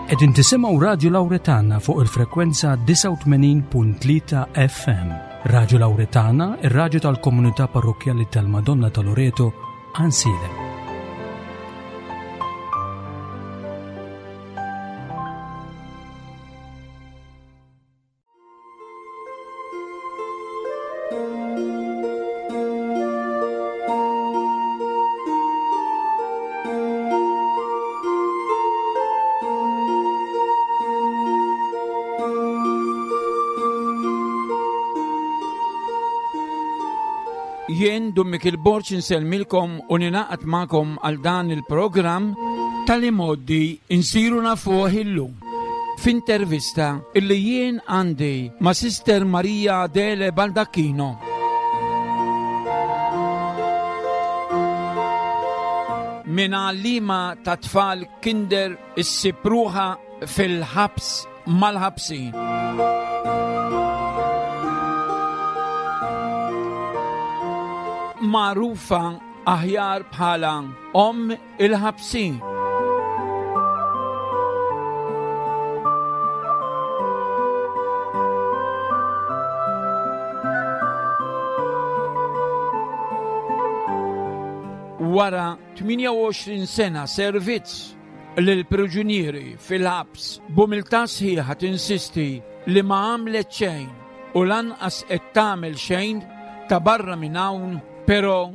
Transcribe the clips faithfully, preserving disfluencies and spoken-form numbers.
Qegħdin tisimgħu Radju Lawretana fuq il-frekwenza disgħa u tmenin punt tlieta F M. Radju Lawretana, ir-radju tal-komunità parrokkjali tal-Madonna ta' Loreto, Għajnsielem. Jien Dun Mikiel Borg insellmilkom u ninaqat magħkom għal dan il-programm tal-imoddi insiru nafuh illum. F'intervista illi jien għandi ma' Sister Maria Adele Baldacchino. Min għallima ta' tfal kinder issib ruħha fil-ħabs mal-ħabsin. Magħrufa aħjar bħala Omm il-Ħabsin. Wara tmienja u għoxrin sena servizz lill-priġunieri fil-ħabs, b'umiltà sħiħa tinsisti li ma għamlet xejn u lanqas qed tagħmel xejn ta' barra minn hawn, però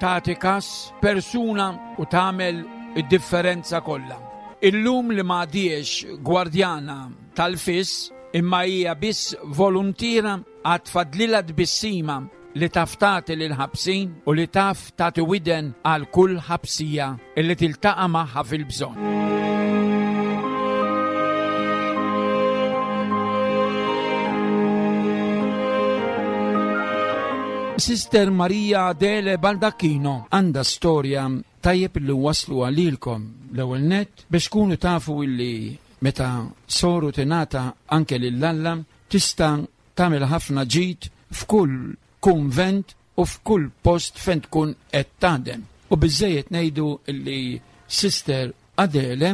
tagħti kas persuna u tagħmel id-differenza kollha. Illum li m'għadiex gwardjana tal-fis imma hija biss voluntiera għad fadlilha tbissima li taf tagħti lil ħabsin u li taf tagħti widen għal kull ħabsija illi tiltaqa' magħha fil-bżonn. Sister Maria Adele Baldacchino għandha storja tajjeb li waslu għalilkom l-ewwel nett biex tkunu tafu illi meta soru tingħata anke lil Alla tista' tagħmel ħafna ġid f'kull kunvent u f'kull post fejn tkun qed taħdem. U biżejjed ngħidu illi Sister Adele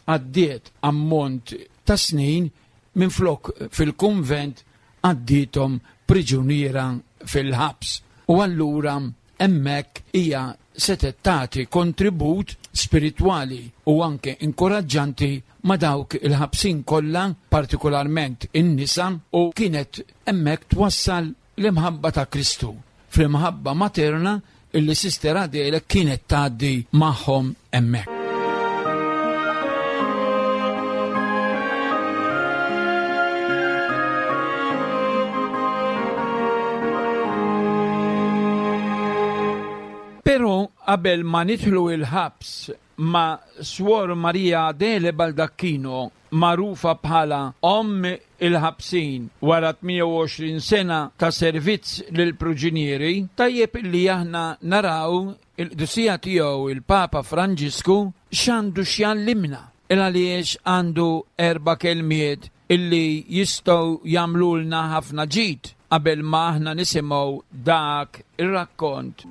għaddiet ammont ta' snin minflok fil-kunvent għaddietom priġuniera fil-ħabs. U allura hemmhekk hija setgħet tagħti kontribut spiritwali u anke inkoraġġanti ma' dawk il-ħabsin kollha, partikolarment in-nisa, u kienet hemmhekk twassal l-imħabba ta' Kristu fl-imħabba materna illi Sister Adele kienet tgħaddi magħhom hemmhekk. Però qabel ma nidħlu il-ħabs ma' Swor Maria Adele Baldacchino, magħrufa bħala Omm il-Ħabsin wara tmienja u għoxrin sena ta' servizz lill-priġunieri, tajjeb illi aħna naraw il-qdusija tiegħu il-Papa Franġisku x'għandu x'jallimna, il għaliex għandu erba' kelmiet illi jistgħu jagħmlulna ħafna ġid qabel ma aħna nisimgħu dak ir-rakkont.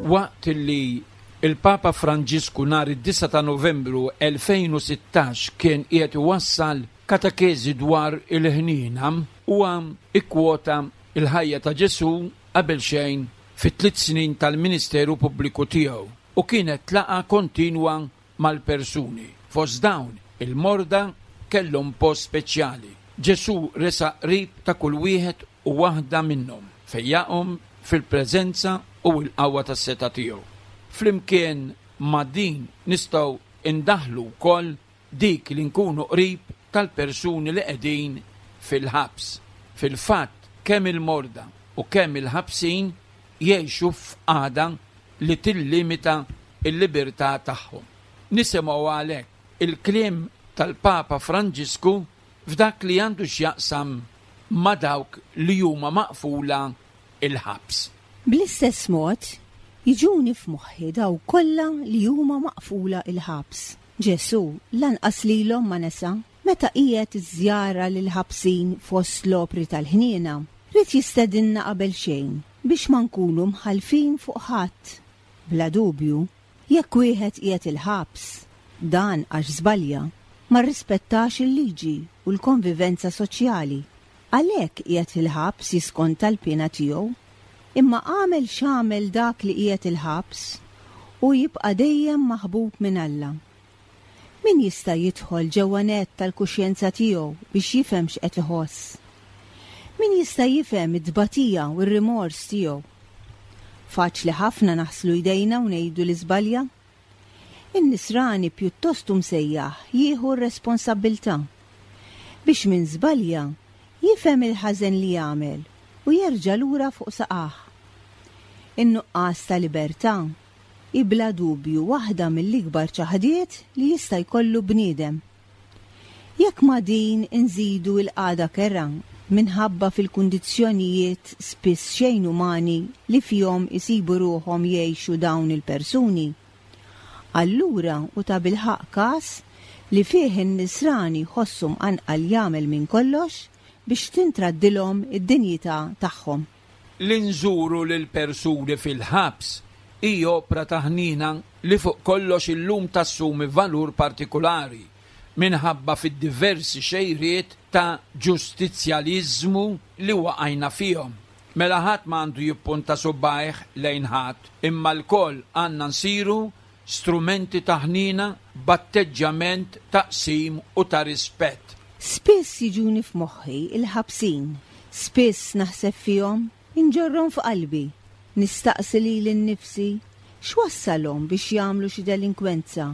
Waqt li il-Papa Franġisku nhar id-disgħa ta' Novembru elfejn u sittax kien qiegħed iwassal katekeżi dwar il-ħniena, huwa ikkwota il-ħajja ta' Ġesù qabel xejn fit-tliet snin tal-Ministeru Pubbliku tiegħu u kienet laqgħa kontinwa mal-persuni. Fost dawn il-morda kellhom post speċjali. Ġesù resaq qrib ta' kull wieħed u waħda minnhom, fejjaqhom fil-preżenza u l-qawwa tas-setgħa tiegħu. Flimkien ma' din nistgħu indaħlu wkoll dik li nkunu qrib tal-persuni li qegħdin fil-ħabs. Fil-fatt, kemm il-morda u kemm il-ħabsin jgħixu f'qagħda li tillimita l-libertà tagħhom. Nisimgħu għalhekk il-kliem tal-Papa Franġisku f'dak li għandu x'jaqsam ma' dawk li huma maqfula il-ħabs. Bl-istess mod, Jiġuni f'moħħi dawk kollha li huma maqfula il-ħabs. Ġesù lanqas lilhom ma nesa meta qiegħed iż-żjara lill-ħabsin fost l-opri tal-ħniena, ried jistedinna qabel xejn biex ma nkunu mħallfin fuq ħadd. Bla dubju, jekk wieħed qiegħed il-ħabs, dan għax żbalja, ma rrispettax il-liġi u l-konvivenza soċjali. Għalhekk qiegħed il-ħabs jiskonta l-piena tiegħu. Imma għamel x'għamel dak li qiegħed il-ħabs u jibqa' dejjem maħbub minn Alla. Min jista' jidħol ġewwa nett tal-kuxjenza tiegħu biex jifhem x'qed iħoss? Min jista' jifhem it-tbatija u r-rimors tiegħu? Faċli ħafna naħslu jdejna u ngħidu li żbalja. In-nisrani pjuttost msejjaħ jieħu r-responsabbiltà biex min żbalja jifhem il-ħażen li jagħmel u jerġa' lura fuq saqajh. In-nuqqas ta' libertà hi bla dubju waħda mill-ikbar ċaħdiet li jista' jkollu bniedem. Jekk ma' din inżidu l-qagħda kerha minħabba fil-kundizzjonijiet spiss xejn umani li fihom isibu ruħhom jgħixu dawn il-persuni, allura hu tabilħaqq każ li fih in-nisrani jħossu mqanqal jagħmel minn kollox biex tintraddilhom id-dinjità tagħhom. Li nżuru lil persuni fil-ħabs hi opra ta' ħniena li fuq kollox illum tassumi valur partikulari minħabba fid-diversi xejriet ta' ġustizzjaliżmu li waqajna fihom. Mela ħadd ma għandu jippunta subgħajh lejn ħadd, imma lkoll għandna nsiru strumenti ta' ħniena b'atteġġjament ta' qsim u ta' rispett. Spiss jiġuni f'moħħi il-ħabsin, spiss naħseb fihom, inġorrhom f'qalbi, nistaqsi lili nnifsi x'wassalhom biex jagħmlu xi delinkwenza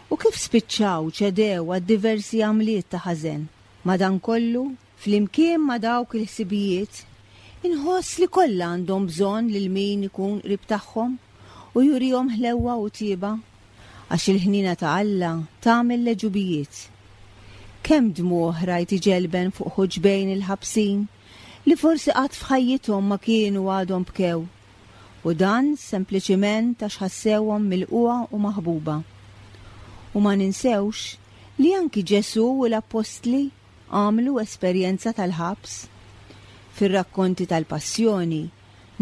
u kif spiċċaw ċedew għad diversi għamliet ta' ħażen. Madankollu, flimkien ma' dawk il-ħsibijiet, inħoss li kollha għandhom bżonn lil min ikun qrib tagħhom u jurihom ħlewwa u tjieba, għax il-ħniena ta' Alla tagħmel l-għeġubijiet. Kemm dmugħ rajt iġelben fuq ħuġbejn il-ħabsin li forsi qatt f'ħajjithom ma kienu għadhom bkew, u dan sempliċiment għax ħassewhom milqugħa u maħbuba. U ma ninsewx li anki Ġesù u l-Appostli għamlu esperjenza tal-ħabs. Fir-rakkonti tal-Passjoni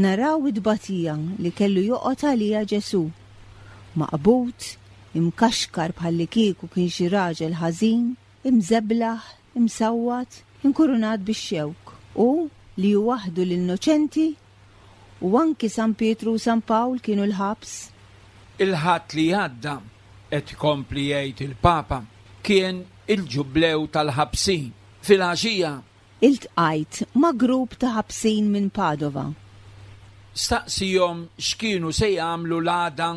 naraw id-tbatija li kellu joqgħod għalija Ġesù, maqbud, imkaxkar bħallikieku kien xi raġel ħażin, imżeblaħ, imsawwat, inkurunat bix-xewk, u li hu waħdu l-innoċenti, u anki San Pietru u San Pawl kienu l-ħabs. Il-Ħadd li għadda, qed ikompli jgħid il-Papa, kien il-ġublew tal-ħabsin. Fil-għaxija iltqajt ma' grupp ta' ħabsin minn Padova. Staqsihom x'kienu se jagħmlu l-għada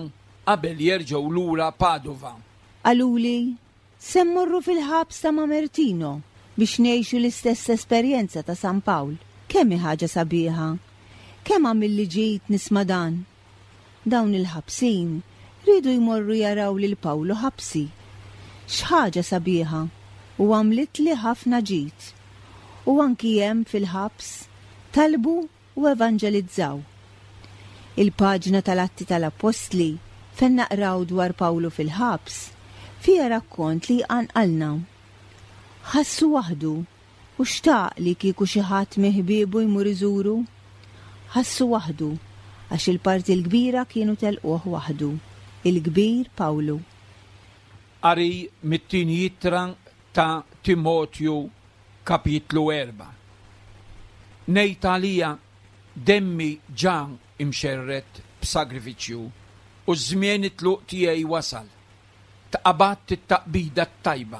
qabel jerġgħu lura Padova. Qaluli, se mmorru fil-ħabs ta' Mamertino biex ngħixu l-istess esperjenza ta' San Pawl. Kemm hi ħaġa sabiħa, kemm għamilli ġid nisma' dan. Dawn il-ħabsin riedu jmorru jaraw lil Pawlu ħabsi. X'ħaġa sabiħa u għamlitli ħafna ġid. U anki hemm fil-ħabs talbu u evanġelizzaw. Il-paġna tal-Atti tal-Appostli fejn naqraw dwar Pawlu fil-ħabs fiha rakkont li jqanqalna. Ħassu waħdu u xtaq li kieku xi ħadd minn ħbiebu jmur iżuru. Ħassu waħdu għax il-parti l-kbira kienu telquh waħdu, il-kbir Pawlu. Qari mit-tieni ittra ta' Timotju kapitlu erba'. Ngħid għalija demmi ġa imxerred b'sagrifiċċju u ż-żmien it-tluq tiegħi wasal. Tqabadt it-taqbida t-tajba,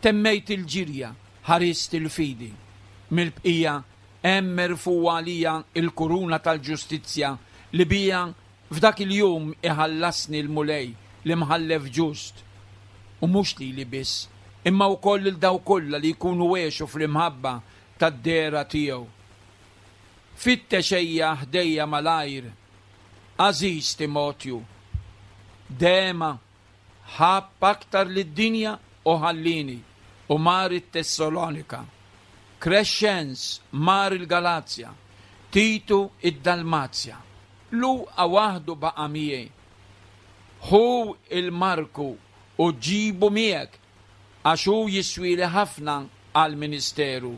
temmejt il-ġirja, ħarist il-fidi. Mill-bqija hemm merfugħa għalija il-kuruna tal-ġustizzja li bija f'dak il-jum iħallasni l-Mulej l-imħallef ġust. U mhux lili biss, imma wkoll lil dawk kollha li jkunu għexu fl-imħabba tad-dehra tiegħu. Fittex ejja ħdejja malajr, għażiż Timotju. Dema ħabb aktar lid-dinja u ħallini u mar it-Tessalonika. Crescens mar il-Galazja, Titu id-Dalmazja. Luqa waħdu baqa' miegħi. Ħu il-Marku u ġibu miegħek, għax hu jiswili ħafna għall-ministeru.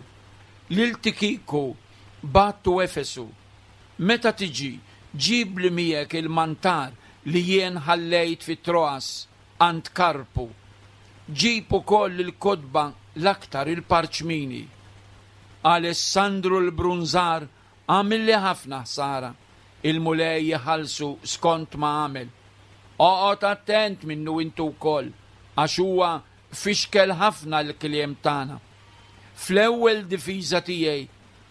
Lil Tikiku bgħattu Efesu. Meta tiġi, ġib li miegħek il-mantar li jien ħallejt fi Troas għand Karpu. Ġib ukoll il-kotba, l-aktar il-parċmini. Alessandru l-Brunżar għamilli ħafna ħsara, il-Mulej jħallsu skont ma għamel. Oqgħod attent minnu intu wkoll, għax huwa fixkel ħafna l-kliem tagħna. Fl-ewwel difiża tiegħi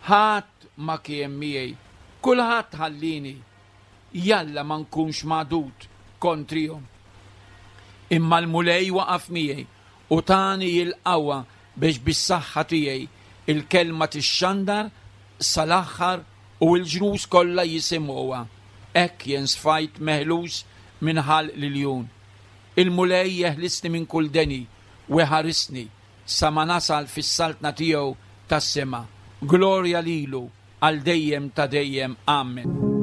ħadd ma kien miegħi, kulħadd ħallini. Jalla ma nkunx magħdud kontrihom. Imma l-Mulej waqaf miegħi u tani il-qawwa biex bis-saħħa tiegħi il-kelma tixxandar sal-aħħar u l-ġnus kollha jisimgħuha. Hekk jien sfajt meħlus minn ħalq l-iljun. Il-Mulej jeħlisni minn kull deni u jħarisni sa ma nasal fis-saltna tiegħu tas-sema. Glorja lilu għal dejjem ta' dejjem. Amen.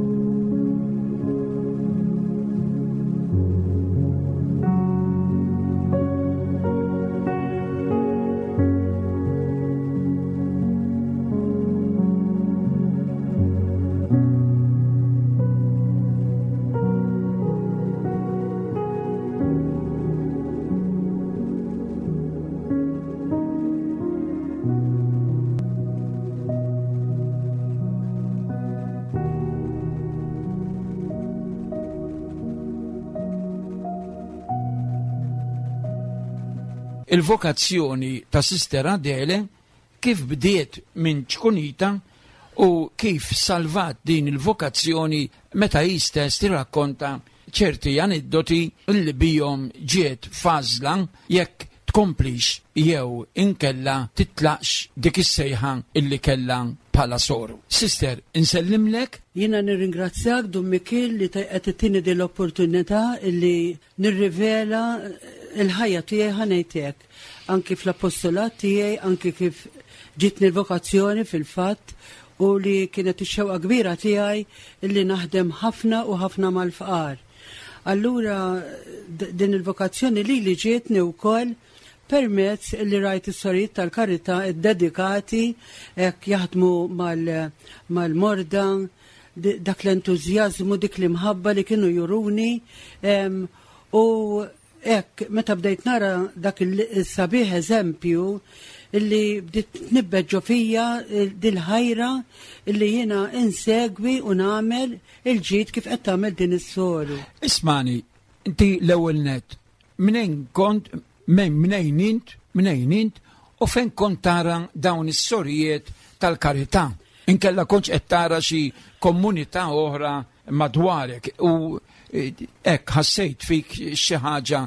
Il-vokazzjoni ta' Sister Adele kif bdiet minn ċkunita u kif salvat din il-vokazzjoni meta hi stess tirrakkonta ċerti aneddoti li bihom ġiet f'għażla jekk tkomplix jew inkella titlaqx dik is-sejħa illi kellha bħala soru. Sister, insellimlek. Jiena nirringrazzjak, Dun Mikiel, li qed ittini din l-opportunità illi nirrivela il-ħajja tiegħi, ħa ngħidlek. Anki fl-apostolat tiegħi, anki kif ġitni l-vokazzjoni fil-fatt u li kienet ix-xewqa kbira tiegħi illi naħdem ħafna u ħafna mal-fqar. Allura din il-vokazzjoni li li ġietni wkoll permezz li rajt is-sorijiet tal-karità dedikati hekk jaħdmu mal-morda, dak l-entużjażmu, dik l-imħabba li kienu juruni u hekk meta bdejt nara dak il-sabiħ eżempju illi bdiet tnibbet ġo fija dil-ħajra illi jiena insegwi u nagħmel il-ġid kif qed tagħmel din is-soru. Ismani, inti l-ewwel net, mnejn kont, mnejn int, mnejn int, u fejn kont tara dawn is-sorijiet tal-karità? Inkella kontx qed tara xi komunità oħra madwarek u hekk ħassejt fik xi ħaġa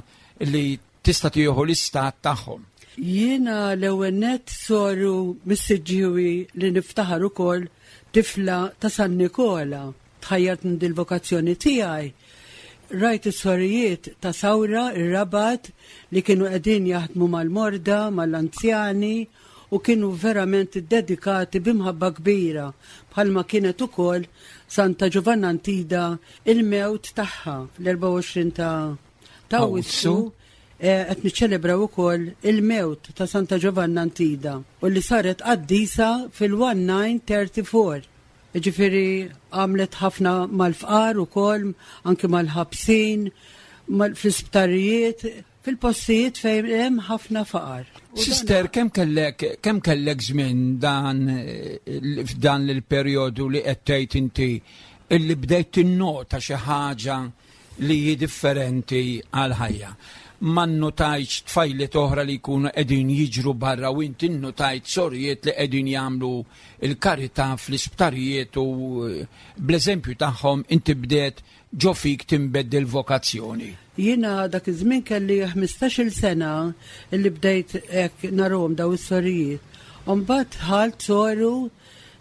li tista' tieħu l-istat tagħhom. Jiena l-ewwel nett soru mis-Siġġiewi li niftaħar ukoll, tifla ta' San Nikola. Tħajjart minn dil-vokazzjoni tiegħi. Rajt is-sorijiet ta' Sawra, ir-Rabat, li kienu qegħdin jaħdmu mal-morda, mal-anzjani u kienu verament dedikati b'imħabba kbira, bħalma kienet ukoll Santa Giovanna Antida, il-mewt tagħha fl-erbgħa u għoxrin ta' ta' Awwissu qed niċċelebraw ukoll il-mewt ta' Santa Giovanna Antida u li saret qaddisa fil-elf disa' mija u tlettax. Ġifieri għamlet ħafna mal-fqar ukoll, anki mal-ħabsin, fl-isptarijiet, fil-postijiet fejn hemm ħafna faqar. Sister, kemm kellek kemm kellek żmien dan f'dan il-perjodu li qed tgħid inti illi bdejt tinnota xi ħaġa li hi differenti għal ħajja? Ma nnotajtx tfajliet oħra li jkunu qegħdin jiġru barra u inti nnotajt sorijiet li qegħdin jagħmlu il-karità fl-isptarijiet u bl-eżempju tagħhom inti bdejt ġo fik tinbet il-vokazzjoni? Jiena dak iż-żmien kelli ħmistax-il sena illi bdejt hekk narahom daw is-sorijiet. U mbagħad dħalt soru,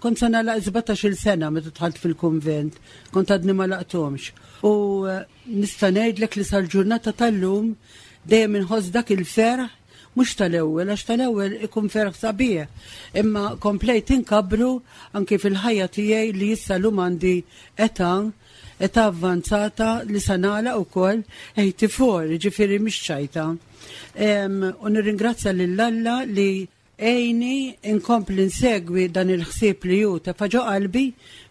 kont se nagħlaq sbatax-il sena meta dħalt fil-kunvent, kont għadni ma għalaqthomx. U nista' ngħidlek li sal-ġurnata tal-lum dejjem inħoss dak il-ferħ, mhux tal-ewwel, għax tal-ewwel ikun ferħ sabiħ, imma komplejt inkabru anki fil-ħajja tiegħi li issa llum għandi età Età avvanzata li sa nagħlaq ukoll eighty-four, ġifieri mhix ċajta. U nirringrazzja lil Alla li għenni inkompli nsegwi dan il-ħsieb li hu tefa' ġo qalbi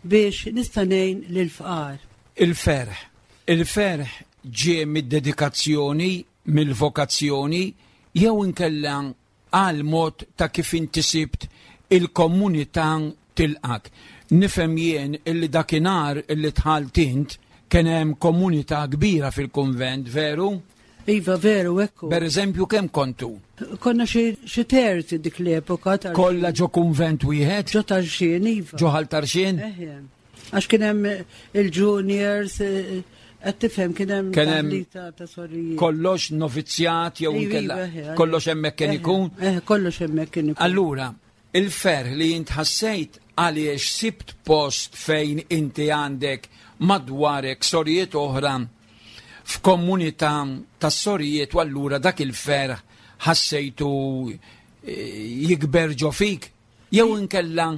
biex nista' ngħin lill-fqar. Il-ferħ. Il-ferħ ġie mid-dedikazzjoni, mill-vokazzjoni, jew inkella għal mod ta' kif inti sibt il-komunità tilqak. Nifhem jien illi dakinhar illi dħalt int kien hemm komunità kbira fil-kunvent, veru? Iva, veru, ekku. Per eżempju, kemm kontu? Konna xi terzi dik l-epoka. Kollha ġo kunvent wieħed? Ġo Tarxien, iva. Ġo Ħal Tarxien? Eħe. Għax kien hemm il-juniors, qed tifhem, kien hemm Kien hemm ta' sorijiet. Kollox novizzjat jew Iva, inkella eħe, kollox hemmhekk kien eħe, ikun? Eħe, kollox hemmhekk kien ikun. Allura, il-ferħ li int ħassejt għaliex sibt post fejn inti għandek madwarek sorijiet oħra f'komunità ta' sorijiet, u allura dak il-ferħ ħassejtu eh, jikber ġo fik. Jew inkella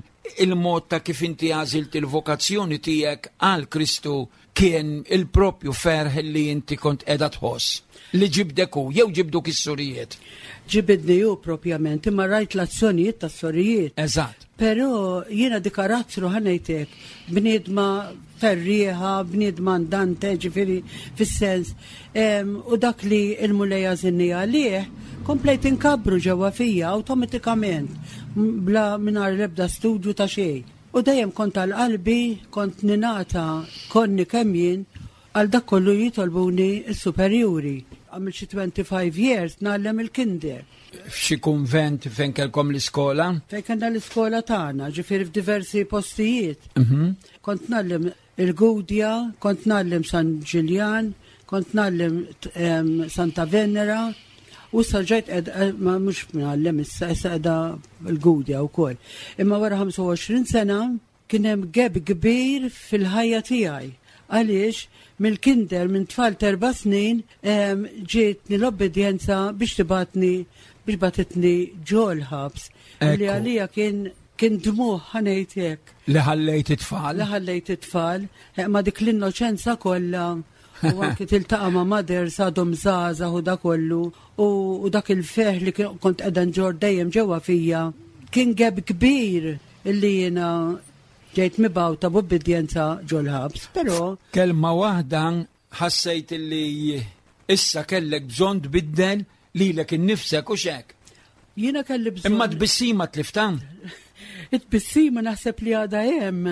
il-mod ta' kif inti għażilt il-vokazzjoni tiegħek għal Kristu kien il-propju ferħ li inti kont qiegħda tħoss li ġibdek hu, jew ġibduk is-sorijiet. Ġibidni hu propjament, imma rajt l-azzjonijiet tas-sorijiet. Eżatt. Però jiena di karattru, ħa ngħidlek, bniedma ferrieħa, bniedma andante, ġifieri fis-sens. Em, u dak li il-Mulej għażilni għalih, komplejt inkabbru ġewwa fija awtomatikament, m-, bla mingħajr l-ebda studju ta' xejn. U dejjem kont għal qalbi, kont ningħata konni kemm jien għal dak kollu jitolbuni s-superjuri. Għamil xi twenty-five years ngħallem il-kinder. F'xi kunvent fejn kellkom l-iskola? Fejn kellna l-iskola tagħna, ġifieri f'diversi postijiet. Mhm. Kont ngħallem il-Gudja, kont ngħallem San Ġiljan, kont ngħallem, em, Santa Venera, u issa ġejt ed, eh, ma mhux ngħallem issa, issa qiegħda l-Gudja wkoll. Imma wara ħamsa u għoxrin sena kien hemm gap kbir fil-ħajja tiegħi. Għaliex mill-kinder minn tfal t'erba' snin, em, ġietni l-obbedjenza biex tibgħatni biex bagħtitni ġol-ħabs. Li Ekku. għalija kien, kien dmugħ, ħa ngħidlek. Li ħallejt it-tfal? Li ħallejt it-tfal, eh, ma dik l-innoċenza kollha u anki tiltaqa' ma' mothers għadhom żgħażagħ u da kollu u, u dak il-ferħ li kien- kont qiegħda nġorr dejjem ġewwa fija kien gap kbir illi jiena ġejt mibgħuta b'obbedjenza ġol-ħabs, però Kelma waħda, ħassejt li issa kellek bżonn tbiddel lilek innifsek u xek. Jiena kelli bżonn. Imma tbissima tliftha? It-tbissima naħseb li għadha hemm.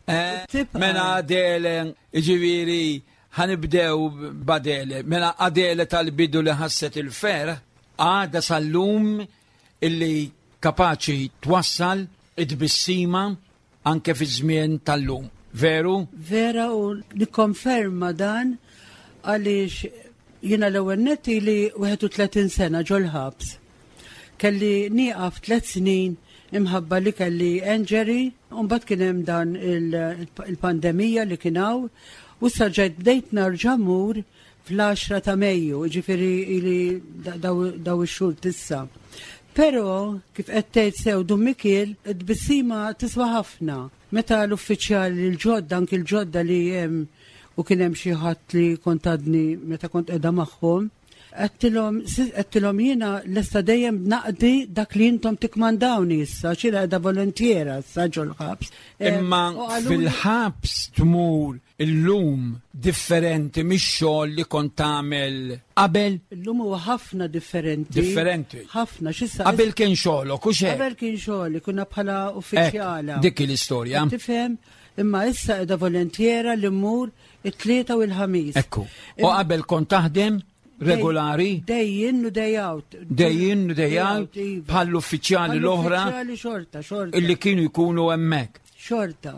Eh, Tibqa'. Mela Adele, ġifieri, ħa nibdew b'Adele. Mela Adele tal-bidu li ħasset il-ferħ, għadha sal-lum illi kapaċi twassal it-tbissima anke fi żmien tal-lum. Veru? Vera, u nikkonferma dan għaliex jiena l-ewwel nett ili wieħed u tletin sena ġol-ħabs. Kelli nieqaf tliet snin imħabba li kelli injury, u mbagħad kien hemm dan il- il-pandemija li kien hawn, u issa ġejt bdejt nerġa' mmur fl-għaxra ta' Mejju, ġifieri ili da- daw daw ix-xhur t'issa. Però kif qed tgħid sew Dun Mikiel, it-tbissima tiswa ħafna. Meta l-uffiċjali l-ġodda, anki l-ġodda li hemm, u kien hemm xi ħadd li kont għadni meta kont qiegħda magħhom, għedtilhom għedtilhom jiena lesta dejjem naqdi dak li intom tikkmandawni issa, xi qiegħda volontiera issa ġol-ħabs. Eh, Imma u qaluli- fil-ħabs tmur illum differenti mix-xogħol li kont tagħmel qabel? Illum huwa ħafna differenti. Differenti. Ħafna, x'issa. Qabel kien xogħolok u xejn. Qabel kien xogħli, kunna bħala uffiċjala. Dik l-istorja. Tifhem, imma issa qiegħda volontiera li mmur it-Tlieta u l-Ħamis. Ekku. U qabel kont taħdem regolari? Day in u day out. Day in u day out, iva. bħall-uffiċjali l-oħra Bħall-uffiċjali xorta, xorta. illi kienu jkunu hemmhekk. Xorta.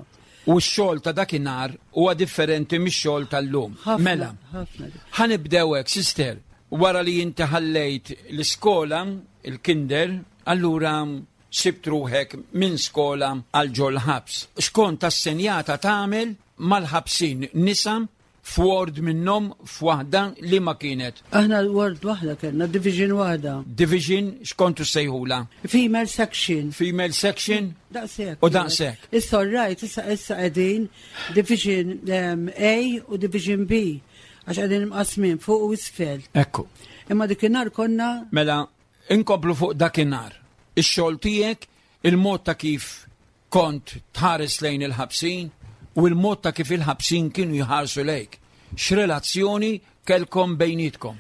U x-xogħol ta' dakinhar huwa differenti mix-xogħol tal-lum. Ħafna, Mela, ħafna. ħa nibdew hekk, sister. Wara li inti ħallejt l-iskola, il-kinder, allura sibt ruħek minn skola għal ġol ħabs. X'kont assenjata tagħmel mal-ħabsin nisa F'ward minnhom, f'waħda li ma kienet? Aħna ward waħda kellna, division waħda. Division x'kontu sejħula? Female section. Female section? Daqshekk. U daqshekk. Issa all right, issa issa qegħdin division um, A u division B, għax qegħdin imqasmin fuq u isfel. Ekku. Imma dikinhar konna Mela, inkomplu fuq dakinhar. Ix-xogħol tiegħek, il-mod ta' kif kont tħares lejn il-ħabsin u il-mod ta' kif il-ħabsin kienu jħarsu lejk. X'relazzjoni kellkom bejnietkom?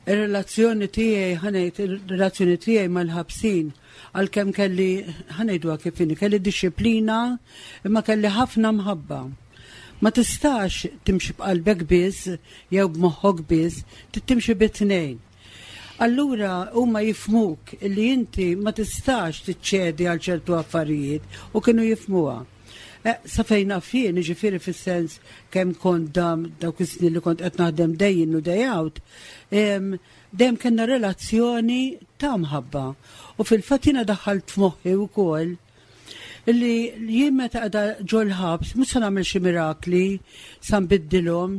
Ir-relazzjoni tiegħi, ħa ngħid, ir-relazzjoni tiegħi mal-ħabsin, għalkemm kelli, ħa ngħidu kif inhi, kelli disciplina, imma kelli ħafna mħabba. Ma tistax timxi b'qalbek biss jew b'moħħok biss, trid timxi bit-tnejn. Allura huma jifhmuk illi inti ma tistax tiċċedi għal ċertu affarijiet u kienu jifhmuha. Eh, sa fejn naf jien, jiġifieri fis-sens kemm kont dam dawk is-snin li kont qed naħdem day in u day out, em, dejjem kellna relazzjoni ta' mħabba. U fil-fatt jiena daħħalt f'moħħi wkoll illi jien meta qiegħda ġol-ħabs mhux se nagħmel xi mirakli sa nbiddilhom.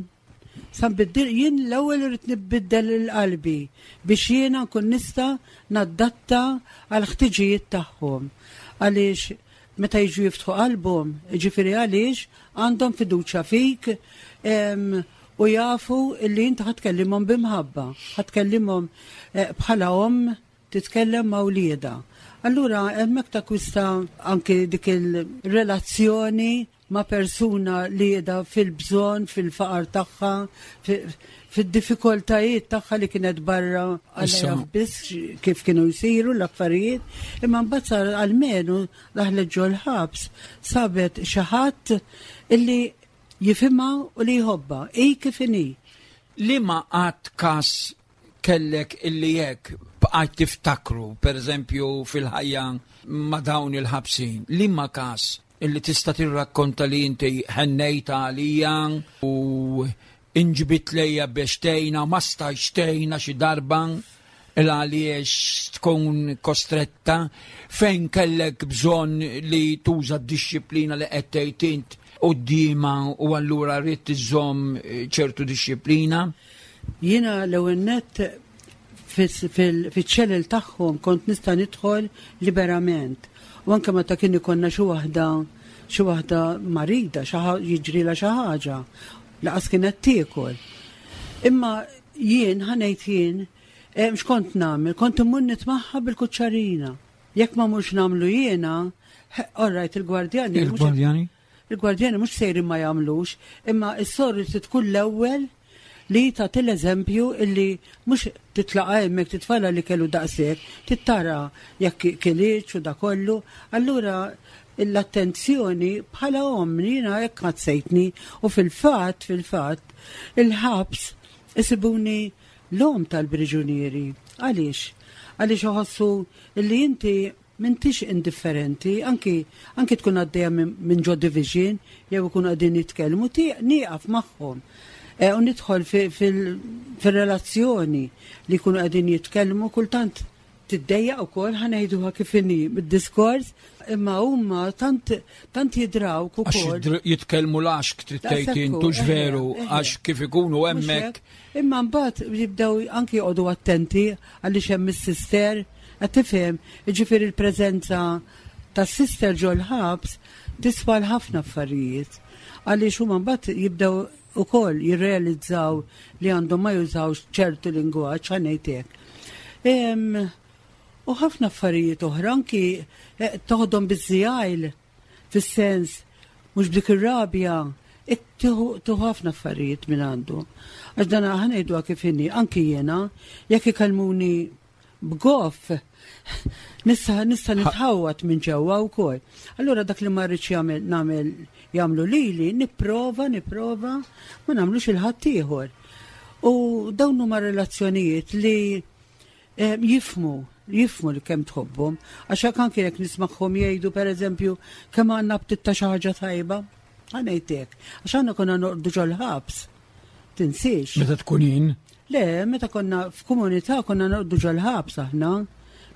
Sa nbiddil, jien l-ewwel irid nbiddel il-qalbi biex jiena nkun nista' naddatta għal ħtiġijiet tagħhom. Għaliex meta jiġu jiftħu qalbhom, jiġifieri għaliex għandhom fiduċja fik, em, u jafu illi inti ħa tkellimhom b'imħabba, ħa tkellimhom, eh, bħala omm titkellem ma' wliedha. Allura hemmhekk takwista anke dik il-relazzjoni ma' persuna li qiegħda fil-bżonn, fil-faqar tagħha, fi-, fid-diffikultajiet tagħha li kienet barra Issa. għal biss kif kienu jsiru l-affarijiet, imma mbagħad sar almenu daħlet ġol-ħabs sabet xi ħadd illi jifhimha u li jħobbha, hi kif inhi. Li ma qatt kas kellek illi jekk bqajt tiftakru, per eżempju, fil-ħajja ma' dawn il-ħabsin, li ma kas illi tista' tirrakkonta li inti ħennejta għalija u inġbit lejja biex tgħinha, ma stajtx tgħinha xi darba il għaliex tkun kostretta, fejn kellek bżonn li tuża d-disciplina li qed tgħid int quddiemha u allura rrid iżżomm ċertu disciplina? Jiena l-ewwel nett fiċ-ċelel tagħhom kont nista' nidħol liberament. U anke meta kien ikollna xi waħda, xi waħda marida, xi ħa-, jiġrilha xi ħaġa, laqas kienet tiekol. Imma jien, ħa ngħid jien, eh, x'kont nagħmel? Kont immur nitmaħħa bil-kuċċarina. Jekk ma mhux nagħmlu jiena, all right, il-gwardjani mhux Il-gwardjani? Il-gwardjani mhux sejrin ma jagħmlux, imma s-soru trid tkun l-ewwel li tagħti l-eżempju illi mhux titlaqa hemmhekk titfala li kellu daqshekk, tittara jekk kilitx u da kollu. Allura l-attenzjoni bħala omm jiena hekk ħassejtni u fil-fatt, fil-fatt, il-ħabs isibuni l-omm tal-priġunieri. Għaliex? Għaliex iħossu illi inti m'intix indifferenti, anki, anki tkun għaddejja minn, minn ġo division, jew ikun għaddin jitkellmu, ti-, nieqaf magħhom. E, u nidħol fi-, fil-, fil-relazzjoni li jkunu qegħdin jitkellmu, kultant tiddejjaq ukoll, ħa ngħiduha kif inhi bid-diskors, imma huma tant, tant jidrawk Għax ukoll. jidr-, jitkellmu l-għaxk trid tgħid Daqshekk intux hu, veru, eħe, eħe. għax kif ikunu Mhux hemmhekk. hekk. Imma mbagħad jibdew anki joqogħdu attenti għaliex hemm is-sister, qed tifhem, jiġifieri l-preżenza tas-sister ġol-ħabs tiswa l-ħafna affarijiet. Għaliex huma mbagħad jibdew ukoll jirrealizzaw li għandhom ma jużawx ċertu lingwaġġ, ħa ngħid hekk. Em, u ħafna affarijiet oħra anki, eh, toħdom biż-żjajl, fis-sens mhux b'dik ir-rabja, tieħu ħafna affarijiet minn għandu. Għax dan ħa ngħiduha kif inhi, anki jiena, jekk ikellmuni b'goff, nista', nista' nitħawat minn ġewwa wkoll. Allura dak li ma rridx jagħmel, nagħmel jagħmlu lili, nipprova, nipprova ma nagħmlux il-ħaddieħor. U dawn huma relazzjonijiet li, eh, jifmu, jifmu li kemm tħobbhom, għax hekk anke jekk nismagħhom jgħidu pereżempju kemm għandna btit ta' xi ħaġa tajba, ħa ngħid hekk, għax aħna konna noqogħdu ġol-ħabs. Tinsiex. Meta tkun jien? Le, meta konna f'komunità konna noqogħdu ġol-ħabs aħna,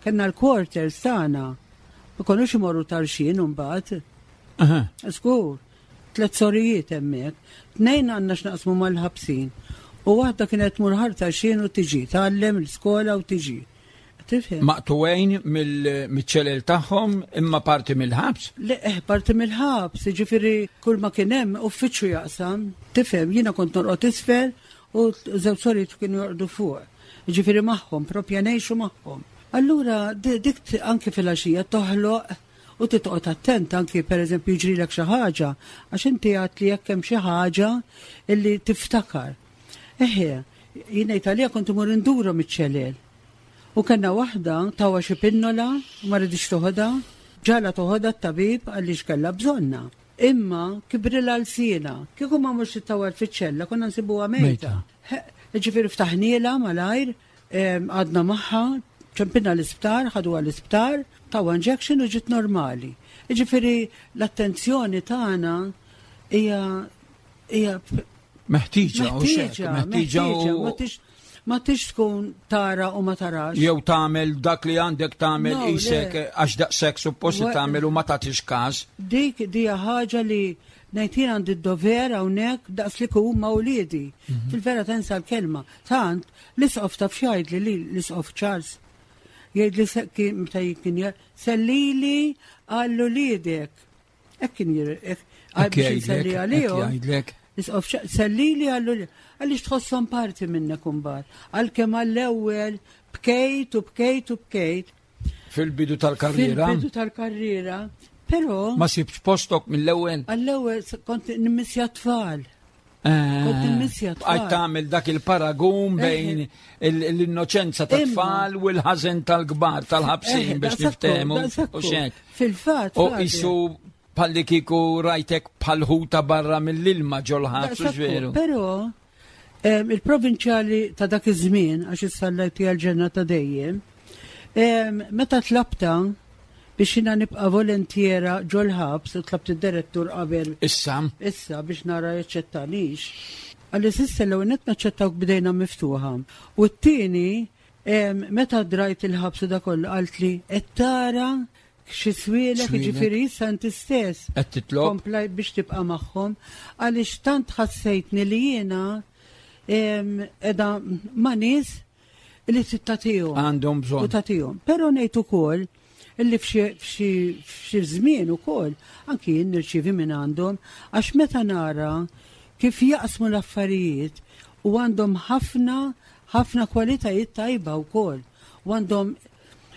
kellna l-quarters tagħna. Ma konniex imorru tarxin imbagħad. Aha. Żgur. tliet sorijiet hemmhekk. Tnejn għandna x'naqsmu mal-ħabsin. U waħda kienet tmur Ħal Tarxien u tiġi, tgħallem l-iskola u tiġi. Tifhem? Maqtugħin mill-ċelel tagħhom imma parti mill-ħabs? Le, eh, parti mill-ħabs, ġifieri kull ma kien hemm uffiċċju jaqsam. Tifhem, jiena kont norqod isfel u żewġ sorijiet kienu jorqdu fuq. Ġifieri magħhom, propja ngħixu magħhom. Allura dik anke fil-għaxija toħloq u titqgħod attent anki pereżempju jiġrilek xi ħaġa, għax inti għedt li jekk hemm xi ħaġa illi tiftakar. Eħe, jien ngħid għalija kont imur indurhom iċ-ċelel. U kellna waħda tawha xi pinnola u ma riditx toħodha, ġagħalha toħodha t-tabib għaliex kellha bżonnha. Imma kibrilha lsienha, kieku ma mhux tawha fiċ-ċella konna nsibuha mejta. Ġifieri ftaħnielha malajr, għadna magħha, ċempilna l-isptar, ħaduha l-isptar, tawha injection u ġiet normali. Ġifieri l-attenzjoni tagħna hija hija meħtieġa, meħtieġa, meħtieġa u ma tix tkun tara u ma tarax. Jew tagħmel dak li għandek tagħmel isek għax daqshekk suppost tagħmel u ma tagħtix każ. Dik dija ħaġa li ngħid jien għandi d-dover hawnhekk daqs li huma wliedi. Fil-vera tensa l-kelma. Tant l-isqof taf x'jgħidli li l-isqof Charles. Jgħid li meta kien sellili għal uliedek. Hekk kien hekk biex għalihom. Isqof sellili għallu għaliex tħosshom parti minnek imbagħad. Għalkemm għall-ewwel bkejt u bkejt u bkejt. Fil-bidu tal-karriera. Fil-bidu tal-karriera. Però ma sibx postok mill-ewwel. Għall-ewwel kont nimmissja tfal. Kont nimmissja tfal. Għaj tagħmel dak il-paragun bejn l-innoċenza tat-tfal u l-ħażen tal-kbar tal-ħabsin biex niftehmu. U xek. Fil-fatt. U isu palli kiku rajtek bħal-ħuta barra mill-ilma ġol-ħabs, veru. Però il-provinċjali ta' dak iż-żmien, għax issa għal ġenna ta' dejjem, meta tlabta biex jiena nibqa' volontiera ġol-ħabs u tlabt id-direttur qabel. Issa. Issa biex nara jaċċettanix. Għalli s'issa l-ewwel nett naċċettawk b'idejna miftuħa. U t-tieni, meta drajt il-ħabs u da kollu qalt li qed tara xi swielek, jiġifieri issa inti stess. Qed titlob. Komplaj biex tibqa' magħhom għaliex tant ħassejtni li jiena qiegħda ma' nies li trid tagħtihom. Għandhom bżonn. U tagħtihom. Però ngħid ukoll illi f'xi żmien ukoll anki jien nirċievi minn għandhom għax meta nara kif jaqsmu l-affarijiet u għandhom ħafna ħafna kwalitajiet tajba wkoll u għandhom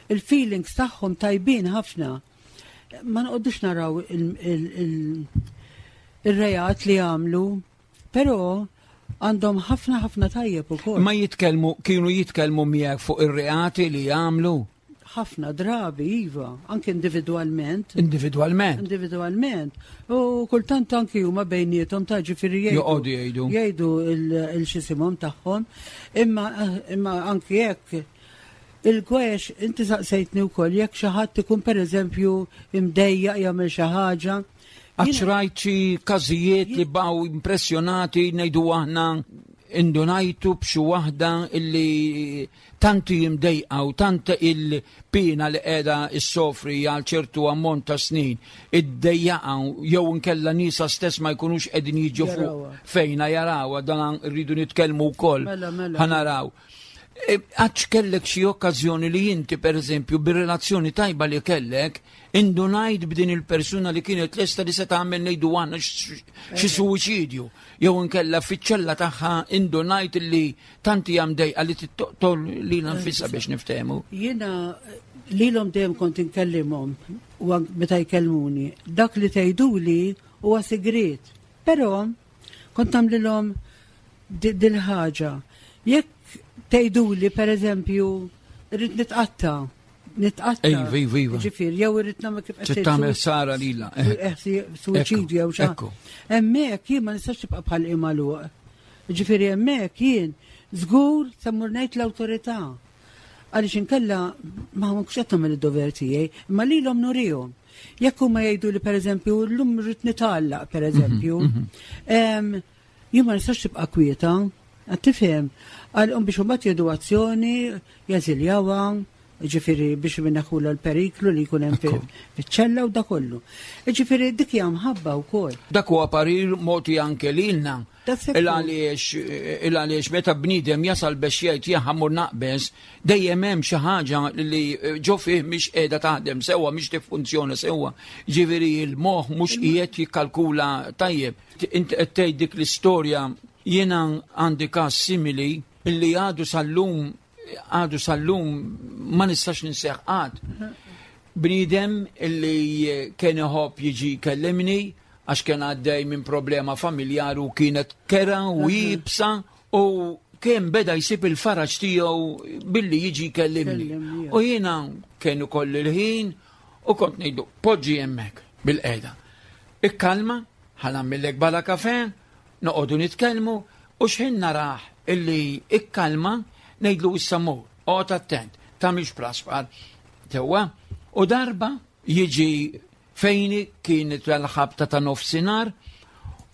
il-feelings tagħhom tajbin ħafna. Ma noqogħdux naraw il-reat li għamlu, però għandhom ħafna ħafna tajjeb ukoll. Ma jitkellmu, kienu jitkellmu miegħek fuq ir-reati li għamlu? Ħafna drabi, iva, anke individwalment. Individwalment? Individwalment. U kultant anki huma bejniethom ta' ġifieri jgħidu. Joqogħdu jgħidu. Jgħidu il-xisimhom tagħhom, imma imma anki jekk il-gwex, inti saqsejtni wkoll jekk xi ħadd ikun pereżempju imdejjaq jagħmel xi ħaġa. Għax rajt xi każijiet li baqgħu impressjonati ngħidu aħna indunajtu b'xi waħda illi tanti jimdejqa u tant il-pina li qiegħda issofri għal ċertu ammont ta' snin iddejjaqa jew inkella nisa stess ma jkunux qegħdin jiġu fuq fejna jarawha, dan rridu nitkellmu wkoll. Mela, mela. Ħanaraw. Għax kellek xi okkażjoni li inti pereżempju bir-relazzjoni tajba li kellek indunajt b'din il-persuna li kienet lesta li se tagħmel ngħidu aħna xi suwiċidju jew inkella fiċ-ċella tagħha indunajt li tanti hemm dejqa li tittoqtol lilha nfisha biex niftehmu. Jiena lilhom dejjem kont inkellimhom u meta jkellmuni. Dak li tgħiduli huwa sigriet. Però kont nagħmlilhom dil-ħaġa. Jekk tgħiduli pereżempju rrid nitqatta, nitqatta. Ejva, ejva, ejva. Ġifieri, jew irrid nagħmel kif qed Trid tagħmel sara lilha. Suwiċidju jew xi. Hemmhekk jien ma nistax tibqa' bħal magħluq. Ġifieri hemmhekk jien żgur se mmur ngħid l-awtorità. Għaliex inkella ma mhux qed nagħmel id-dover tiegħi, imma lilhom nurihom. Jekk huma jgħidu li pereżempju llum rrid nitgħallaq pereżempju, jien ma nistax tibqa' kwieta. Għad tifhem, għal biex imbagħad jieħdu azzjoni, jeżiljawha, Ġifieri biex minnaħula l-periklu li jkun hemm fiċ-ċella u da kollu. Ġifieri dik hija mħabba wkoll. Dak huwa parir mogħti anke lilna. Il għaliex meta bniedem jasal biex jgħid jien ħammur naqbeż, dejjem hemm xi ħaġa li ġo fih mhix qiegħda taħdem sewwa, mhix tiffunzjona sewwa. Ġifieri l-moħħ mhux qiegħed jikkalkula tajjeb. Inti qed tgħid dik l-istorja, jiena għandi każ simili illi għadu sal-lum għadu sal-lum ma nistax ninseħ għad. Bniedem illi kien iħobb jiġi jkellimni għax kien għaddej minn problema familjari u kienet kera u jibsa u kien beda jsib il-faraġ tiegħu billi jiġi jkellimni. U jiena kien ukoll il-ħin u kont ngħidu poġġi hemmhekk bil-qiegħda. Ikkalma, ħa nagħmillek bala kafe, noqogħdu nitkellmu u x'ħin narah illi ikkalma ngħidlu issa mur, oqgħod attent, tagħmilx praspar. Tewwa, u darba jiġi fejni kienet l-ħabta ta' nofsinhar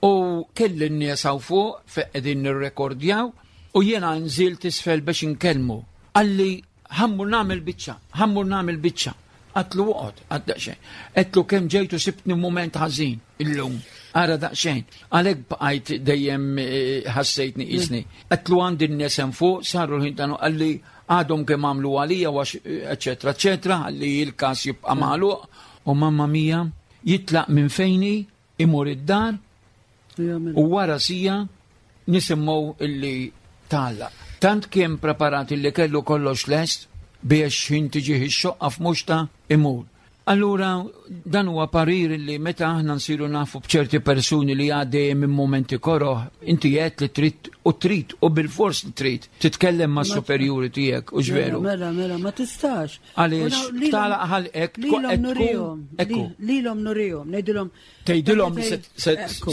u kelli n-nies hawn fuq fejn qegħdin nirrekordjaw u jiena nżilt isfel biex inkellmu. Qalli ħammur nagħmel biċċa, ħammur nagħmel biċċa. Għatlu oqgħod, għad daqsxejn. Għedtlu kemm ġejtu sibtni mument ħażin illum. Ara daqsxejn. Għalhekk bqajt dejjem ħassejtni qisni. Għedtlu għandi n-nies hemm fuq, saru l-ħin tagħna, qalli għadhom kemm għamlu għalija għax eċetera, eċetera, qalli l-każ jibqa' magħluq. U mamma mia jitlaq minn fejni, imur id-dar u wara sija nisimgħu illi tgħallaq. Tant kien preparat illi kellu kollox lest biex ħin tiġih ix-xoqqa f'muxta imur. Allura dan huwa parir li meta aħna nsiru nafu b'ċerti persuni li għaddejjem minn momenti koroh, inti qed li trid u trid u bil-fors li trid titkellem ma' superjuri tiegħek u ġveru. Mela, mela, ma tistax. Għaliex tagħlaq ħalqek lilhom nurihom. Lilhom nurihom, ngħidilhom. Tgħidilhom li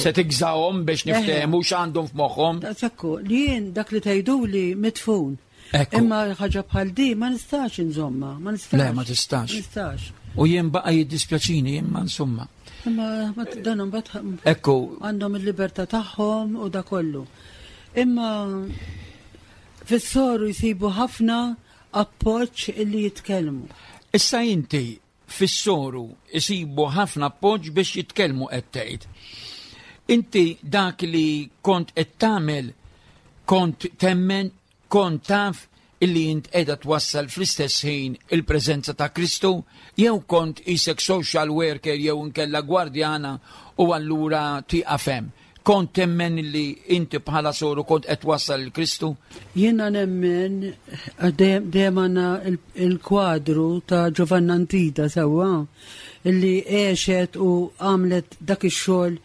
se tigżahom biex niftehmu x'għandhom f'moħħhom. Ekku, li jien dak li tgħiduli mitfun. Imma ħaġa bħal di ma nistax inżomma, ma nistax. Le, ma tistax. Nistax. U jien baqa' jiddispjaċini imma insomma. Imma dan imbagħad Ekku. għandhom il-libertà tagħhom u da kollu. Imma fis-soru jsibu ħafna appoġġ illi jitkellmu. Issa inti fis-soru jsibu ħafna appoġġ biex jitkellmu qed tgħid. Inti dak li kont qed tagħmel kont temmen, kont taf illi int qiegħda twassal fl-istess ħin il-preżenza ta' Kristu, jew kont isek social worker jew inkella gwardjana u allura tieqaf hemm. Kont temmen illi inti bħala soru kont qed twassal il-Kristu? Jiena nemmen dejjem għandna il-kwadru ta' Giovanna Antida sewwa illi għexet u għamlet dak ix-xogħol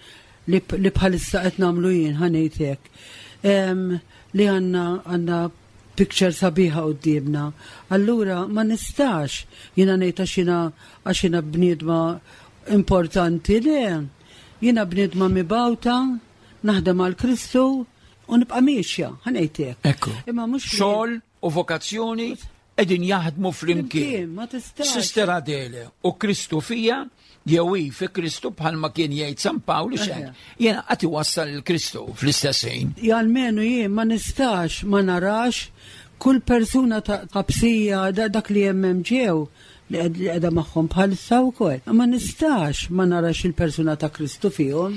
li bħalissa qed nagħmlu jien, ħa ngħid hekk. Li għandna għandna picture sabiħa quddiemna. Allura ma nistax jiena ngħid għax jiena għax jiena bniedma importanti, le. Jiena bniedma mibgħuta, naħdem għal Kristu u nibqa' miexja, ħa ngħid hekk. Ekku. Imma mhux li Xogħol u vokazzjoni qegħdin jaħdmu flimkien. Flimkien, ma tistax. Sister Adele u Kristu fija, jew hi fi Kristu bħalma kien jgħid San Pawl xejn. Jiena qatt iwassal il Kristu fl-istess ħin. Ja, almenu jien ma nistax ma narax kull persuna ta' ħabsija dak li hemm hemm ġew li qiegħda magħhom bħalissa wkoll. Ma nistax ma narax il-persuna ta' Kristu fihom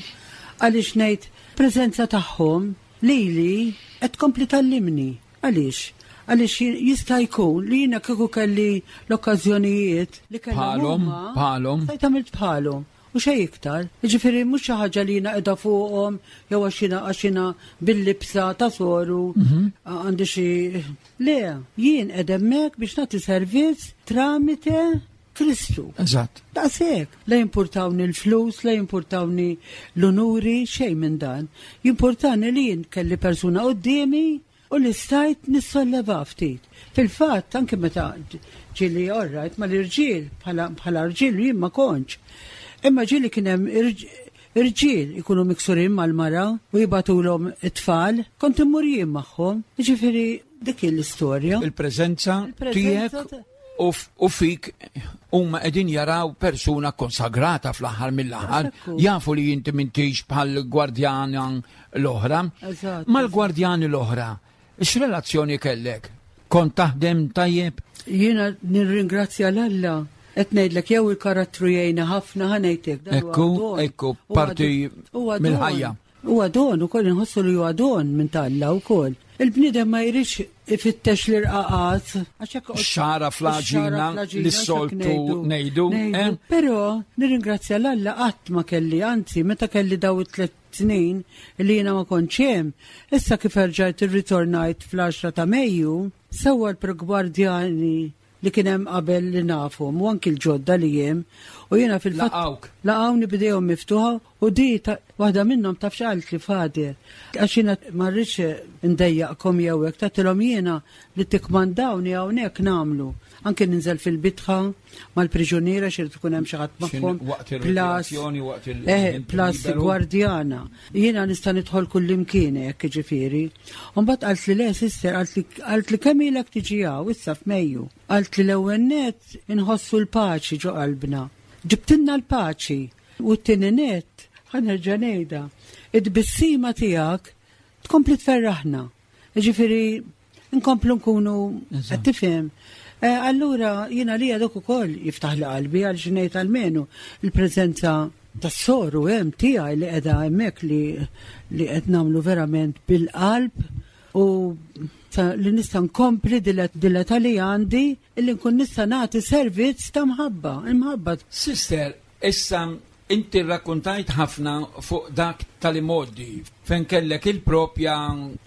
għaliex ngħid preżenza tagħhom lili qed tkompli tallimni. Għaliex? Għaliex jista' jkun li jiena kieku kelli l-okkażjonijiet li kellhom Bħalhom, huma, bħalhom. stajt għamilt bħalhom. U xejn iktar. Jiġifieri mhux xi ħaġa li jiena qiegħda fuqhom jew għax jiena għax jiena bil-libsa ta' soru Mhm. għandi xi Le, jien qed hemmhekk biex nagħti servizz tramite Kristu. Eżatt. Daqshekk. La jimpurtawni l-flus, la jimpurtawni l-onuri, xejn minn dan. Jimpurtani li jien kelli persuna quddiemi u li stajt nissolleva ftit. Fil-fatt, anke meta ġieli orrajt mal-irġiel, bħala rġiel jien ma kontx. Imma ġieli kien hemm irġiel ikunu miksurin mal-mara u jibatulhom it-tfal, kont immur jien magħhom. Jiġifieri dik hi l-istorja. Il-preżenza Il-preżenza tiegħek ta' u f-, u fik huma qegħdin jaraw persuna konsagrata fl-aħħar mill-aħħar, Ekku. jafu li inti m'intix bħal gwardjana l-oħra. Eżatt, Mal-gwardjani l-oħra, x'relazzjoni kellek? Kont taħdem tajjeb? Jiena nirringrazzja 'l Alla. Qed ngħidlek jew il-karattru jgħinna ħafna, ħa ngħidlek. Dan huwa Ekku, don. ekku, Huwa parti don. Huwa don. mill-ħajja. Huwa don ukoll, inħossu li huwa don minn t'Alla wkoll. Il-bniedem ma jridx ifittex l-irqaqat. Għax hekk Xagħra fl-għaġina Xagħra li s-soltu ngħidu, eh? Però nirringrazzja 'l Alla qatt ma kelli, anzi meta kelli daw it-tliet snin li jiena ma kontx hemm, issa kif erġajt irritornajt fl-għaxra ta' Mejju, sewwa l-gwardjani li kien hemm qabel li nafhom u anki l-ġodda li hemm u jiena fil-fatt Laqawk. Laqawni b'idejhom miftuħa u di ta- waħda minnhom taf x'qalt li, "Father, għax jiena ma rridx ndejjaqkom jew hekk," tgħidilhom, "jiena li tikkmandawni hawnhekk nagħmlu. Anke ninżel fil-bitħa mal-priġuniera xi tkun hemm xi ħadd magħhom." Waqt Plus il-rikreazzjoni, waqt il- Eh, il- plus liberu. gwardjana. Jiena nista' nidħol kull imkien hekk ġifieri. U mbagħad qalt li, "Le, sister," qalt li qalt li "kemm ilek tiġi hawn issa f'Mejju?" Qalt li, "L-ewwel net inħossu l-paċi ġo qalbna. Ġibtilna l-paċi. U t-tieni net, ħa nerġa' ngħidha, id-tbissima tiegħek tkompli tferraħna. Ġifieri nkomplu nkunu Eżatt. qed tifhem." Eh, Allura jiena li dak ukoll jiftaħ li qalbi għal x'ngħid almenu il-preżenza tas-soru hemm tiegħi li qiegħda hemmhekk li li qed nagħmlu verament bil-qalb u ta' li nista' nkompli dil-età li għandi illi nkun nista' nagħti servizz ta' mħabba, imħabba. Sister, issa inti rrakkontajt ħafna fuq dak tal-imgħoddi fejn kellek il-propja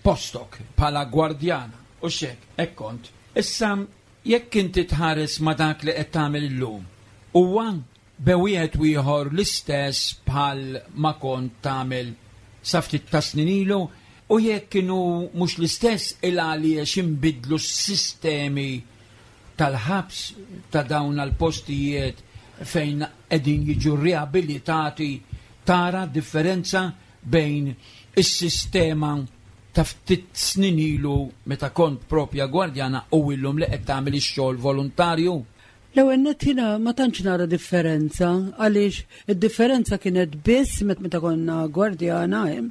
postok bħala gwardjana u xek, hekk kont. Issa jekk inti tħares ma dak li qed tagħmel illum, huwa bejn wieħed u ieħor l-istess bħal ma kont tagħmel sa ftit ta' snin ilu, u jekk kienu mhux l-istess, il għaliex inbidlu s-sistemi tal-ħabs ta' dawn għal-postijiet fejn qegħdin jiġu riabilitati, tara differenza bejn is-sistema ta' ftit snin ilu meta kont propja gwardjana u illum li qed tagħmel ix-xogħol volontarju? L-ewwel nett jiena ma tantx nara differenza għaliex id-differenza kienet biss met meta konna gwardjana hemm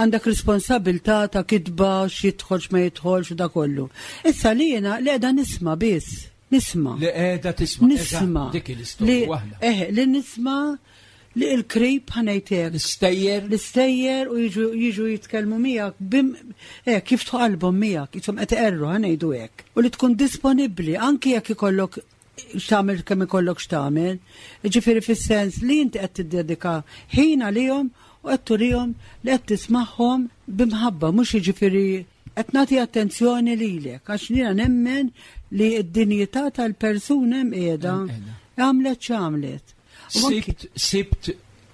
għandek responsabilità ta' kitba x'jidħol, x'ma jidħolx u da kollu. Issa li jiena li qiegħda nisma' biss, nisma'. Li qiegħda tisma'. Nisma'. Eżatt, dik l-istorja Li- waħda. Eh, li nisma' li il-krib, ħa ngħidlek. L-istejjer. L-istejjer u jiġu jiġu jitkellmu miegħek bim eh, kif qalbhom miegħek, jisom qed iqerru, ħa ngħidu hekk. U li tkun disponibbli anki jekk ikollok x'tagħmel, kemm ikollok x'tagħmel. Ġifieri fis-sens li inti qed tiddedika ħin għalihom u qed turihom li qed tismagħhom b'imħabba, mhux jiġifieri qed nagħti attenzjoni lilek, għax jiena nemmen li d-dinjità tal-persuna hemm qiegħda. Hemm qiegħda. Għamlet x'għamlet. U anki- Sibt, sibt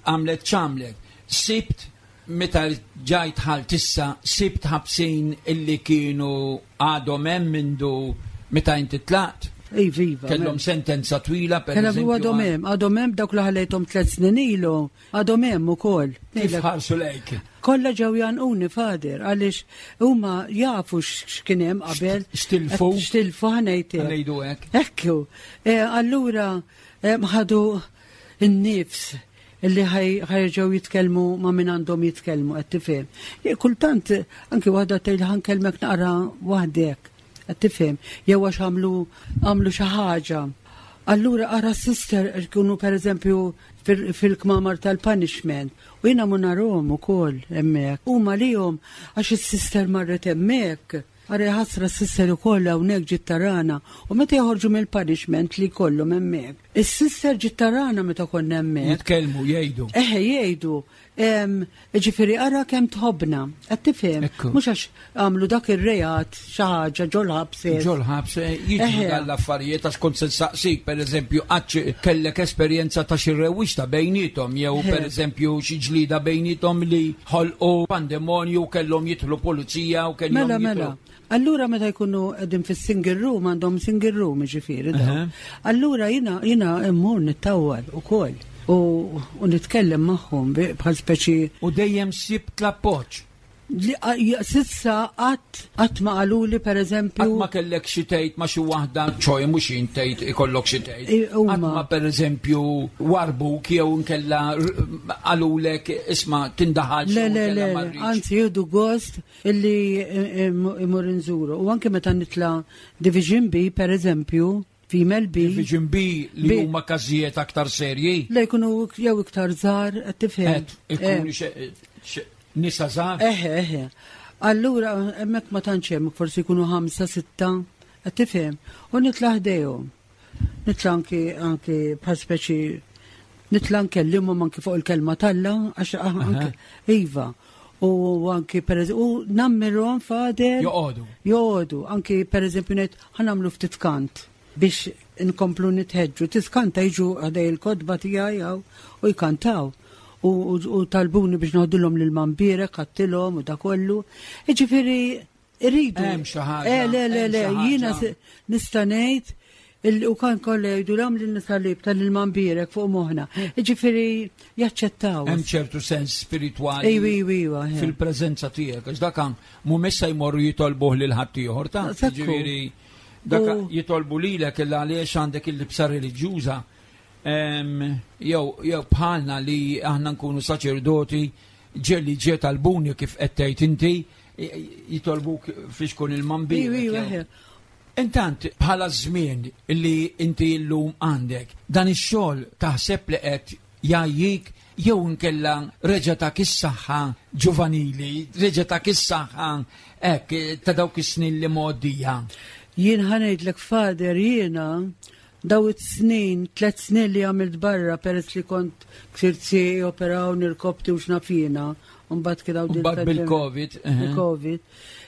għamlet x'għamlet. Sibt meta ġajt ħalt issa, sibt ħabsin illi kienu għadhom hemm mindu meta inti tlaqt. Iva, iva. Kellhom sentenza twila, per Kellhom eżempju. Għadhom hemm, għadhom hemm dawk li ħallejthom tliet snin ilu, għadhom hemm ukoll. Kif ħarsu lejk? Kollha ġew jgħannquni, Father, għaliex huma jafu x'kien hemm qabel. X'tilfu? X'tilfu, ħa ngħidlek. Ħa ngħidu hekk. Ekku. Eh, Allura eh, ħadu n-nifs illi ħa jerġgħu jitkellmu ma' min għandhom jitkellmu, qed tifhem. Eh, Kultant anki waħda tgħid, "Ħa nkellmek naqra waħdek," qed tifhem, jew għax għamlu għamlu xi ħaġa. Allura ara sister jkunu per eżempju fil- fil-kmamar tal-punishment u jiena mu narahom ukoll hemmhekk. Huma lihom għax is-sister marret hemmhekk. Ara ħasra s-sister ukoll hawnhekk ġiet tarana u meta joħorġu mill-punishment li jkollhom hemmhekk. Is-sister ġiet tarana meta konna hemmhekk. Jitkellmu, jgħidu. Eħe, jgħidu, em, ġifieri ara kemm tħobbna, qed tifhem, Ekku. mhux għax għamlu dak ir-reat xi ħaġa ġol-ħabs. Ġol-ħabs eh, jiġu Eħe. dal-affarijiet għax kont se nsaqsik, per eżempju, għax kellek esperjenza ta' xi rewwixta bejnietom, jew Eħe. per eżempju xi ġlida bejnietom li ħolqu pandemonju, kellhom jidħlu pulizija u kellhom Mela, jidħlu. mela. Allura meta jkunu qegħdin fis-single room, għandhom single room ġifieri daw. Eħe. Allura jiena jiena immur nittawwal ukoll u, u nitkellem magħhom bi- bħal speċi U dejjem sibt l-appoġġ. S'issa qatt qatt ma qaluli pereżempju. Qatt ma kellek xi tgħid ma xi waħda, ċoj mhux tgħid ikollok xi tgħid. Qatt ma pereżempju warbuk jew inkella qalulek isma' tindaħalx. Le, le, le, anzi jieħdu gost illi imur inżuru. U anke meta nitla' Division B pereżempju, Female B. Division B li huma każijiet aktar serji. Le jkunu jew iktar żgħar, qed tifhem. Ikunu nisa żgħar. Eħe, eħe. Allura hemmhekk ma tantx hemm, forsi jkunu ħamsa, sitta, qed tifhem. U nitla' ħdejhom. Nitla' anki anki bħal speċi nitla' nkellimhom anki fuq il-kelma t'Alla għax anke iva. U anki per u nammirhom Father. Joqogħdu. Joqogħdu. Anki pereżempju ngħid ħa nagħmlu ftit kant biex inkomplu nitħeġġu. Tiskanta jiġu ħdej il-kotba tiegħi u jkantaw. U talbuni biex noħdilhom lil Mambirek, ħadtilhom u da kollu. Jiġifieri iridu. Hemm xi ħaġa. Eh, le, le, le, jiena nista' ngħid u kan kollha jgħidu l lil salib tal-Mambirek fuq moħħna. Jiġifieri jaċċettaw. Hemm ċertu sens spiritwali. Ejwa, ejwa, ejwa. Fil-preżenza tiegħek, għax dak mhumiex se jmorru jitolbuh lil ħaddieħor ta' jiġifieri dak jitolbu lilek illa għaliex għandek il-libsa reliġjuża. Jew jew bħalna li aħna nkunu saċerdoti ġelli ġie talbuni kif qed tgħid inti jitolbuk fiex kun il-Mambirek. Intant bħala żmien li inti llum għandek dan ix-xogħol taħseb li qed jgħajjik jew inkella reġa' tak is-saħħa ġuvanili, reġa' tak is-saħħa hekk ta' dawk is-snin li mgħoddija. Jien ħa ngħidlek Father, jiena daw it-snin, tliet snin li għamilt barra peress li kont ksirt sieqi, operawni rkobti u x'naf jiena, u mbagħad kien hawn Mbagħad bil-Covid. Il-Covid.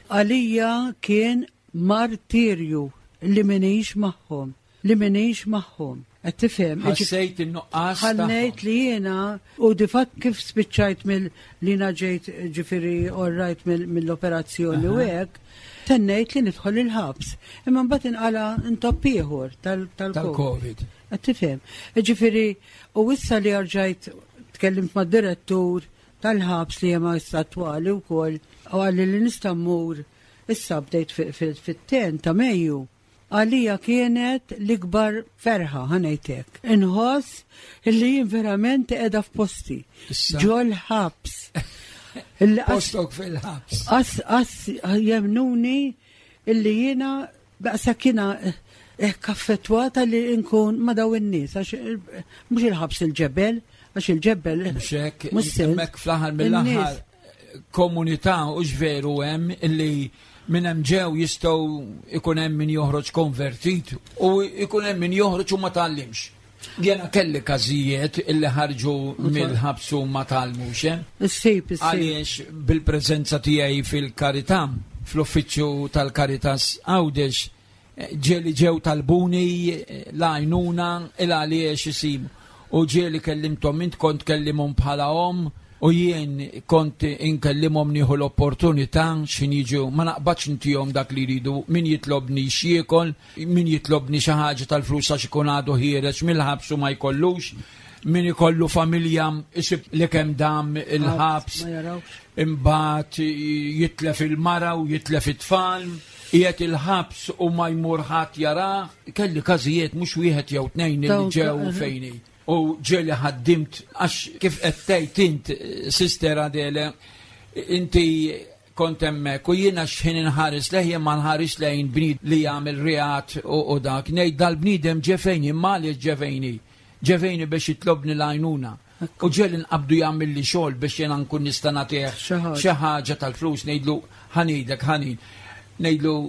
Għalija kien martirju li minix magħhom, li minix magħhom. Qed tifhem? Ħassejt in-nuqqas. Ħannejt li jiena u di fatt kif spiċċajt mill li jiena ġejt ġifieri orrajt mill-operazzjoni u hekk, tennejt li nidħol il-ħabs. Imma mbagħad inqala intopp ieħor tal-Covid. Qed tifhem? Ġifieri u issa li rġajt tkellimt mad-direttur tal-ħabs li hemm issa attwali wkoll u qalli li nista' mmur issa bdejt fit-ten ta' Mejju. Għalija kienet l-ikbar ferħa, ħa ngħidlek. Inħoss illi jien verament qiegħda f'posti. Ġol ħabs. Postok fil-ħabs. Qas, qas jemnuni illi jiena daqshekk jiena kaffettwata li nkun ma' daw in-nies, għax mhux il-ħabs il-ġebel, għax il-ġebel. Mhux hekk, hemmhekk fl-aħħar mill-aħħar komunità u veru hemm illi minn hemm ġew jistgħu ikun hemm min joħroġ konvertit u ikun hemm min joħroġ u ma tgħallimx. Jiena kelli każijiet illi ħarġu mill-ħabs u ma tgħallmux, eh? Issib, issib. Għaliex bil-preżenza tiegħi fil-Karità, fl-uffiċċju tal-Caritas Għawdex, ġieli ġew talbuni l-għajnuna il għaliex isib. U ġieli kellimthom, int kont kellimhom bħala omm, u jien kont inkellimhom nieħu l-opportunità x'in jiġu, ma naqbadx intihom dak li jridu, min jitlobni x'jiekol, min jitlobni xi ħaġa tal-flus għax ikun għadu ħiereġ mill-ħabs u ma jkollux, min ikollu familja isib li kemm dam il-ħabs, imbagħad jitlef il-mara u jitlef it-tfal, qiegħed il-ħabs u ma jmur ħadd jarah. Kelli każijiet mhux wieħed jew tnejn li ġew fejni. U ġieli ħaddimt, għax kif qed tgħid int, Sister Adele, inti kont hemmhekk u jiena x'ħin inħares lejn, jien ma nħares lejn bniedem li jagħmel reat u dak, ngħid dal-bniedem ġefejni, imma għaliex ġefejni? Ġefejni biex jitlobni l-għajnuna. U ġieli nqabdu jagħmel li xogħol biex jiena nkun nista' nagħtih xi ħaġa tal-flus, ngħidlu ħanidek ħanin. Ngħidlu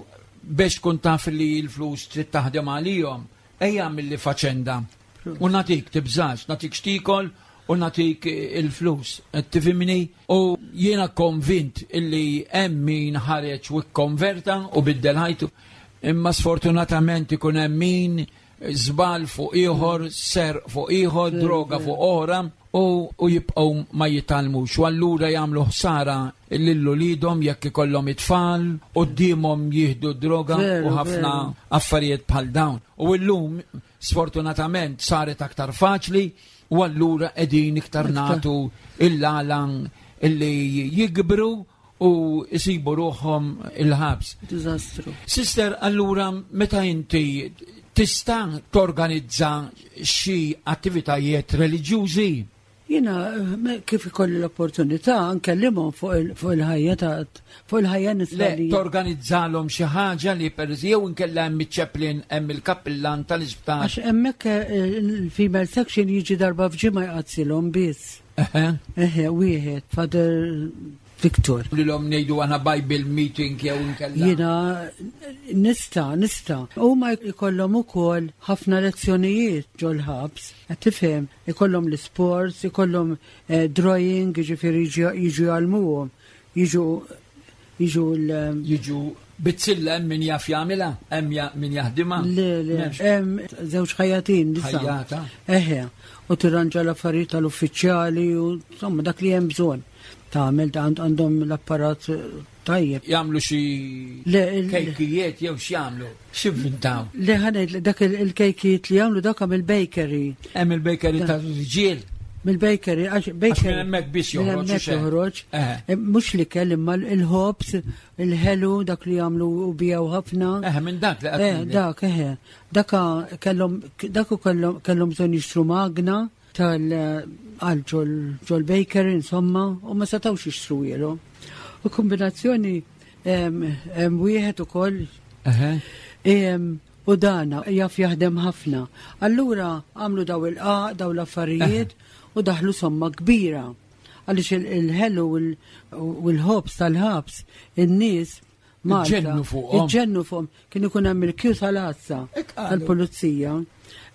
biex tkun taf li l-flus trid taħdem għalihom, ejja agħmel li faċenda. U natik tibżax, natik xtikol u natik il-flus. Tifhimni? U jiena konvint illi hemm min ħareġ u kkonverta u biddel ħajtu, imma sfortunatament ikun hemm min żball fuq ieħor, ser fuq ieħor, droga fuq oħra, u, u jibqgħu ma jitgħallmux. U allura jagħmlu ħsara lil uliedhom jekk ikollhom it-tfal, quddiemhom jieħdu droga u ħafna affarijiet bħal dawn. U llum sfortunatament saret aktar faċli u allura qegħdin iktar nagħtu il-għalan illi jikbru u jsibu ruħhom il-ħabs. Diżastru. Sister, allura meta inti tista' torganizza xi attivitajiet reliġjużi? Jiena kif ikolli l-opportunità nkellimhom fuq il-ħajja ta' fuq il-ħajja Le, nisranija. torganizzalhom xi ħaġa li per jew inkella hemm iċ-chaplain hemm il-kappillan tal-isptar. Għax hemmhekk eh, il-female section jiġi darba f'ġimgħa jqaddsilhom biss. Eħe. Eħe, wieħed, Father Victor. Lilhom ngħidu għana Bible meeting jew inkella. Jiena nista, nista. Huma jkollhom ukoll ħafna lezzjonijiet ġol-ħabs, qed tifhem, ikollhom l-sports, ikollhom eh, drawing, jiġifieri jiġu jiġu jgħallmuhom, jiġu jiġu l Jiġu bizzilla hemm min jaf jagħmilha, hemm ja- min jaħdimha. Le, le, M'hemmx. hemm żewġ ħajatin nisa. Ħajjata. Eħe, u tirranġa l-affarijiet tal-uffiċjali u insomma dak li hemm bżonn. Tagħmel għand- għandhom l-apparat eh, tajjeb. Jagħmlu xi Le, il- kejkijiet jew x'jagħmlu. X'ivvintaw? Le ħanet dak il- il-kejkijiet li jagħmlu dak mill-bakery. Hemm il-bakery tal-irġiel. Mill-bakery, għax bakery. minn hemmhekk biss minn joħroġ, hemmhekk u xejn. joħroġ. Eħe. Eh, Mhux li kell imma il-ħobs, il-ħelu, dak li jagħmlu u bijaw ħafna. Eħe minn dak li qed Eh, ngħidlek. dak, eħe. Daka kellhom dak u kellhom kellhom bżonn jixtru magna tal għal ġol ġol bakery insomma u ma setgħux jixtru jielhom. U kombinazzjoni em, hemm wieħed ukoll Eħe. em, u dana jaf jaħdem ħafna. Allura għamlu daw il-qaq, daw l-affarijiet u daħlu somma kbira. Għaliex il- il-ħelu u l- u l-ħobs tal-ħabs, in-nies Malta. Iġġennu fuqhom. Iġġennu fuqhom. Kien ikun hemm il-kju tal-għassa Hekk qalu. tal-pulizija.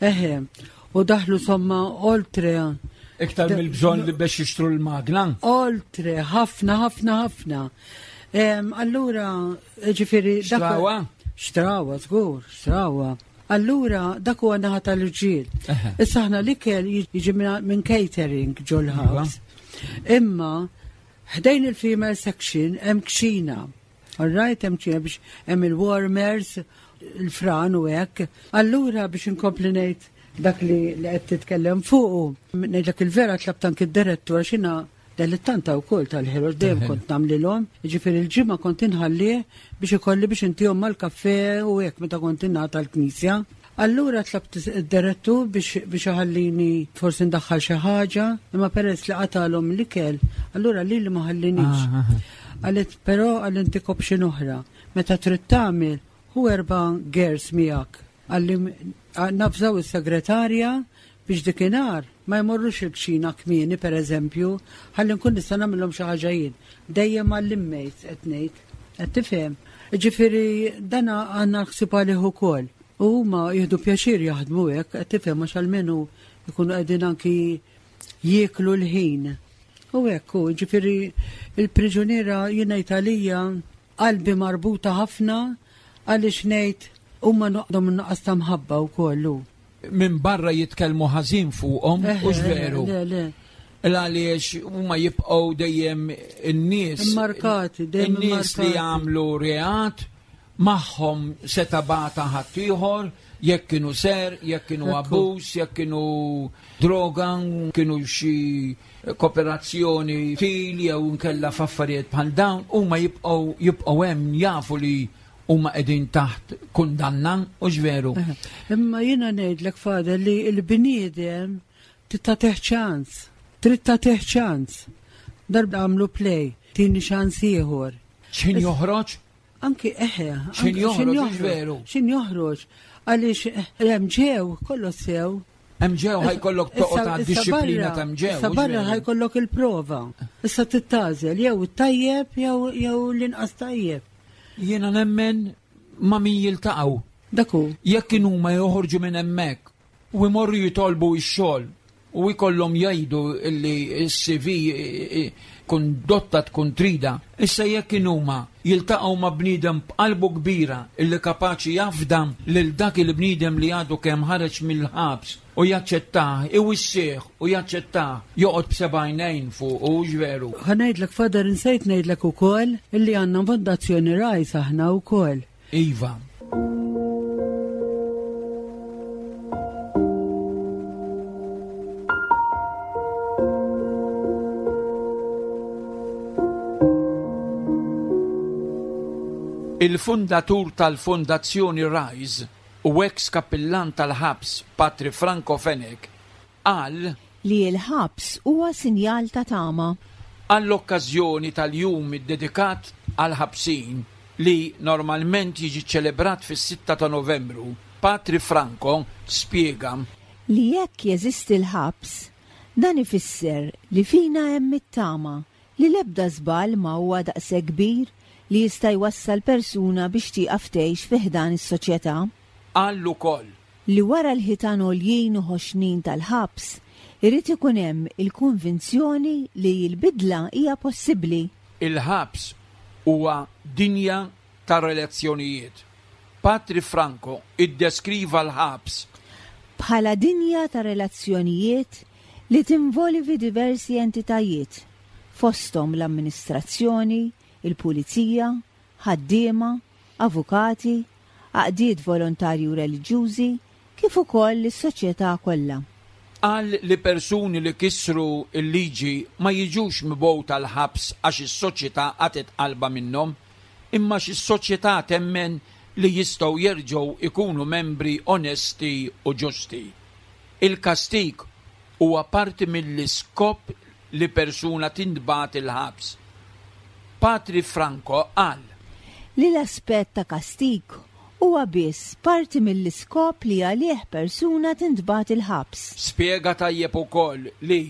Eħe, u daħlu somma oltre, Iktar mill-bżonn li biex jixtru l-magna. oltre, ħafna, ħafna, ħafna. Em, Allura, ġifieri... dak- Xtrawa? Xtrawa, żgur, xtrawa. Allura, dak huwa naħa tal-irġiel. Eħe. Issa aħna l-ikel jiġi minn minn catering ġol-ħabs. Imma, ħdejn il-female section hemm kċina. All right, hemm kċina biex hemm il-warmers, il-fran u hekk. Allura biex inkompli ngħid dak li li qed titkellem fuqu, ngħidlek il-vera tlabt anki d-direttur għax jiena dilettanta wkoll tal-ħelu dejjem kont nagħmlilhom, jiġifieri il-ġimgħa kont inħallih biex ikolli biex intihom mal-kafè u hekk meta kont ingħata l-knisja. Allura tlabt id-direttur biex biex iħallini forsi ndaħħal xi ħaġa, imma peress li qatalhom l-ikel, allura lili ma ħallinix. Ah, ah, Qalet però għal intik option oħra. Meta trid tagħmel hu erba' girls miegħek. Għalli nafżaw is-segretarja biex dikinhar ma jmorrux il-kċina kmieni pereżempju, ħalli nkun nista' nagħmilhom xi ħaġa jien. Dejjem għall-inmates qed ngħid. Qed tifhem? Ġifieri dana għandna ħsieb għalih ukoll. U huma jieħdu pjaċir jaħdmu hekk, qed tifhem għax almenu jkunu qegħdin anki jieklu l-ħin. U hekk hu, ġifieri il-priġuniera jiena Italija qalbi marbuta ħafna għaliex ngħid huma noqdhom nuqqas ta' mħabba wkoll hu. Minn barra jitkellmu ħażin fuqhom, Eħe, hux veru. Le, le. Għaliex huma jibqgħu dejjem in-nies Immarkati, dejjem in-nies li immarkati. jagħmlu reat magħhom seta' bata ħaddieħor, jekk kienu ser, jekk kienu Ekku. abbuż, jekk kienu droga, kienu xi kooperazzjoni til jew nkella f'affarijiet bħal dawn, huma jibqgħu jibqgħu hemm jafu li huma qegħdin taħt kundanna, hux veru. Eħe. Imma jiena ngħidlek Father li l-bniedem trid tagħtih ċans. Trid tagħtih ċans. Darba għamlu play, tini ċans ieħor. X'ħin joħroġ? Anki eħe. X'ħin anki joħroġ, hux veru? X'ħin joħroġ. Għaliex eh, hemm ġew, kollox sew. Hemm ġew ħajkollok toqgħod Issa- issa għad-dixxiplina barra- ta' ġew. Issa hux barra veru? ħajkollok il-prova. Issa tittażel jew it-tajjeb jew jew l-inqas tajjeb. Jiena nemmen ma' min jiltaqgħu. Dak hu. Jekk kienu ma joħorġu minn hemmhekk u jmorru jitolbu x-xogħol u jkollhom jgħidu li s-C V kondotta tkun trida. Issa jekk kienu ma jiltaqgħu ma' bniedem b'qalbu kbira illi kapaċi jafda lil dak il-bniedem li għadu kemm ħareġ mill-ħabs u jaċċettah, iwissih u jaċċettah, joqgħod b'seba' għajnejn fuq u veru. Ħa ngħidlek Father insejt ngħidlek ukoll illi għandna fondazzjoni Rajs aħna wkoll. Iva. Il-fundatur tal-Fondazzjoni Rise u ex kappillan tal-ħabs Patri Franco Fenech qal li l-ħabs huwa sinjal ta' tama. Għall-okkażjoni tal-jum iddedikat għall-ħabsin li normalment jiġi ċelebrat fis-sitta ta' Novembru, Patri Franco spjega li jekk jeżisti l-ħabs, dan ifisser li fina hemm it-tama li l-ebda żball ma huwa daqshekk kbir li jista' jwassal persuna biex tieqaf tgħix fi ħdan is-soċjetà. Qal ukoll li wara l-ħitan għoljin u ħoxnin tal-ħabs irid ikun hemm il-konvinzjoni li l-bidla hija possibbli. Il-ħabs huwa dinja ta' relazzjonijiet. Patri Franco iddeskriva l-ħabs bħala dinja ta' relazzjonijiet li tinvolvi diversi entitajiet, fosthom l-amministrazzjoni, il-pulizija, ħaddiema, avukati, għaqdiet volontarji u reliġjużi, kif ukoll is-soċjetà kollha. Qal li persuni li kisru l-liġi ma jiġux mibgħuta l-ħabs għax is-soċjetà qatgħet qalbha minnhom, imma għax is-soċjetà temmen li jistgħu jerġgħu ikunu membri onesti u ġusti. Il-kastig huwa parti mill-iskop li persuna tintbagħat il-ħabs. Patri Franco qal li l-aspett ta' kastig huwa biss parti mill-iskop li għalih persuna tintbagħat il-ħabs. Spjega tajjeb ukoll li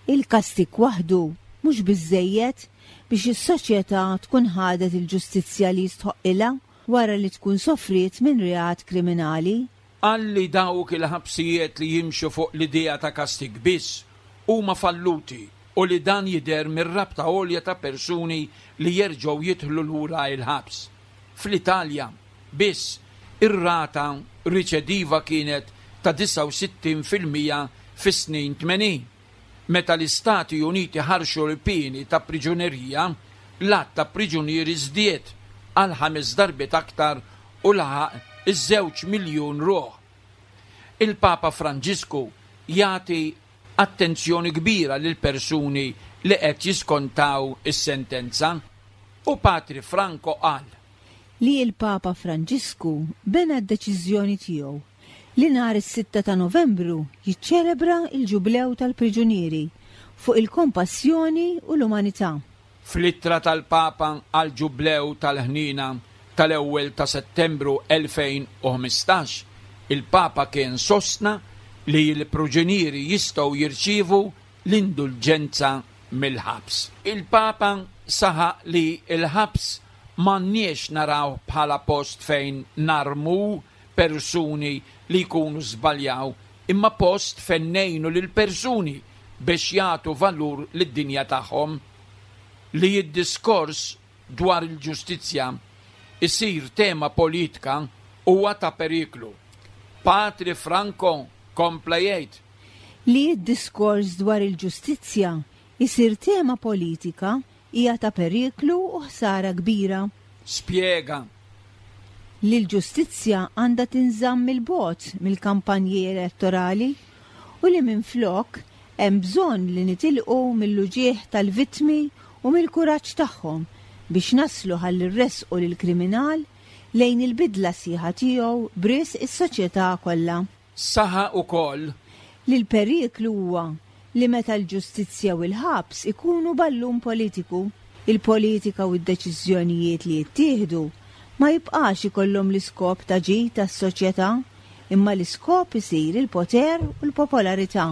il-kastig waħdu mhux biżżejjed biex is-soċjetà tkun ħadet il-ġustizzja li jistħoqilha wara li tkun sofriet minn reat kriminali. Qal li dawk il-ħabsijiet li jimxu fuq l-idea ta' kastig biss huma falluti u li dan jidher mir-rabta għolja ta' persuni li jerġgħu jidħlu lura il-ħabs. Fl-Italja biss ir-rata riċediva kienet ta' disgħa u sittin fil-mija fis-snin tmenin. Meta l-Istati Uniti ħarxu l-pieni ta' priġunerija, l-għadd ta' priġunieri żdied għal ħames darbiet aktar u laħaq iż-żewġ miljun ruħ. Il-Papa Franġisku jagħti attenzjoni kbira lil persuni li qed jiskontaw is-sentenza u Patri Franco qal li l-Papa Franġisku bena d-deċiżjoni tiegħu li nhar is-sitta ta' Novembru jiċċelebra il-ġublew tal-priġunieri fuq il-kompassjoni u l-umanità. Fl-ittra tal-Papa għal ġublew tal-ħnina tal-ewwel ta' Settembru elfejn u ħmistax, il-Papa kien sostna li l-priġunieri jistgħu jirċievu l-indulġenza mill-ħabs. Il-Papa saħaq li l-ħabs m'għandniex naraw bħala post fejn narmu persuni li jkunu żbaljaw, imma post fejn ngħinu lil persuni biex jagħtu valur lid-dinja tagħhom. Li d-diskors dwar il-ġustizzja isir tema politika huwa ta' periklu. Patri Franco kompla jgħid li d-diskors dwar il-ġustizzja isir tema politika hija ta' periklu u ħsara kbira. Spjega li l-ġustizzja għandha tinżamm il-bogħod mill-kampanji elettorali u li minflok hemm bżonn li nitilqu mill-uġieħ tal-vittmi u mill-kuraġġ tagħhom biex naslu ħalli rresqu lill-kriminal lejn il-bidla sieħa tiegħu b'risq is-soċjetà kollha. Saħaq ukoll li l-periklu huwa li meta l-ġustizzja u l-ħabs ikunu ballun politiku, il-politika u d-deċiżjonijiet li jittieħdu ma jibqax ikollhom l-iskop ta' ġid tas-soċjetà, imma l-iskop isir il-poter u l-popolarità.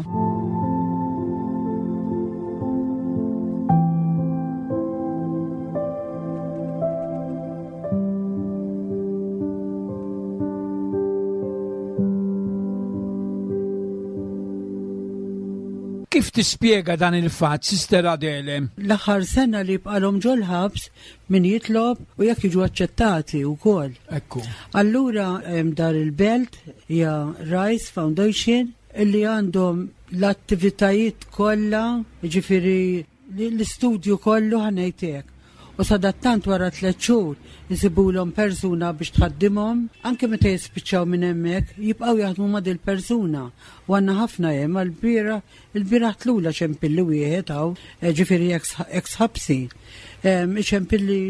Kif tispjega dan il-fatt, Sister Adele? L-aħħar sena li bqalhom ġol-ħabs min jitlob u jekk jiġu aċċettati wkoll. Ekku. Allura hemm dar il-belt hija Rise Foundation illi għandhom l-attivitajiet kollha, jiġifieri l-istudju kollu ħanejtek. U sadattant wara tliet xhur isibulhom persuna biex tħaddimhom, anke meta jispiċċaw minn hemmhekk jibqgħu jaħdmu ma' dil persuna. U għandna ħafna hemm għall-bieraħ, il-bieraħ tlula ċempilli wieħed hawn, eh, ġifieri ex-ħabsi. Ehm, ċempilli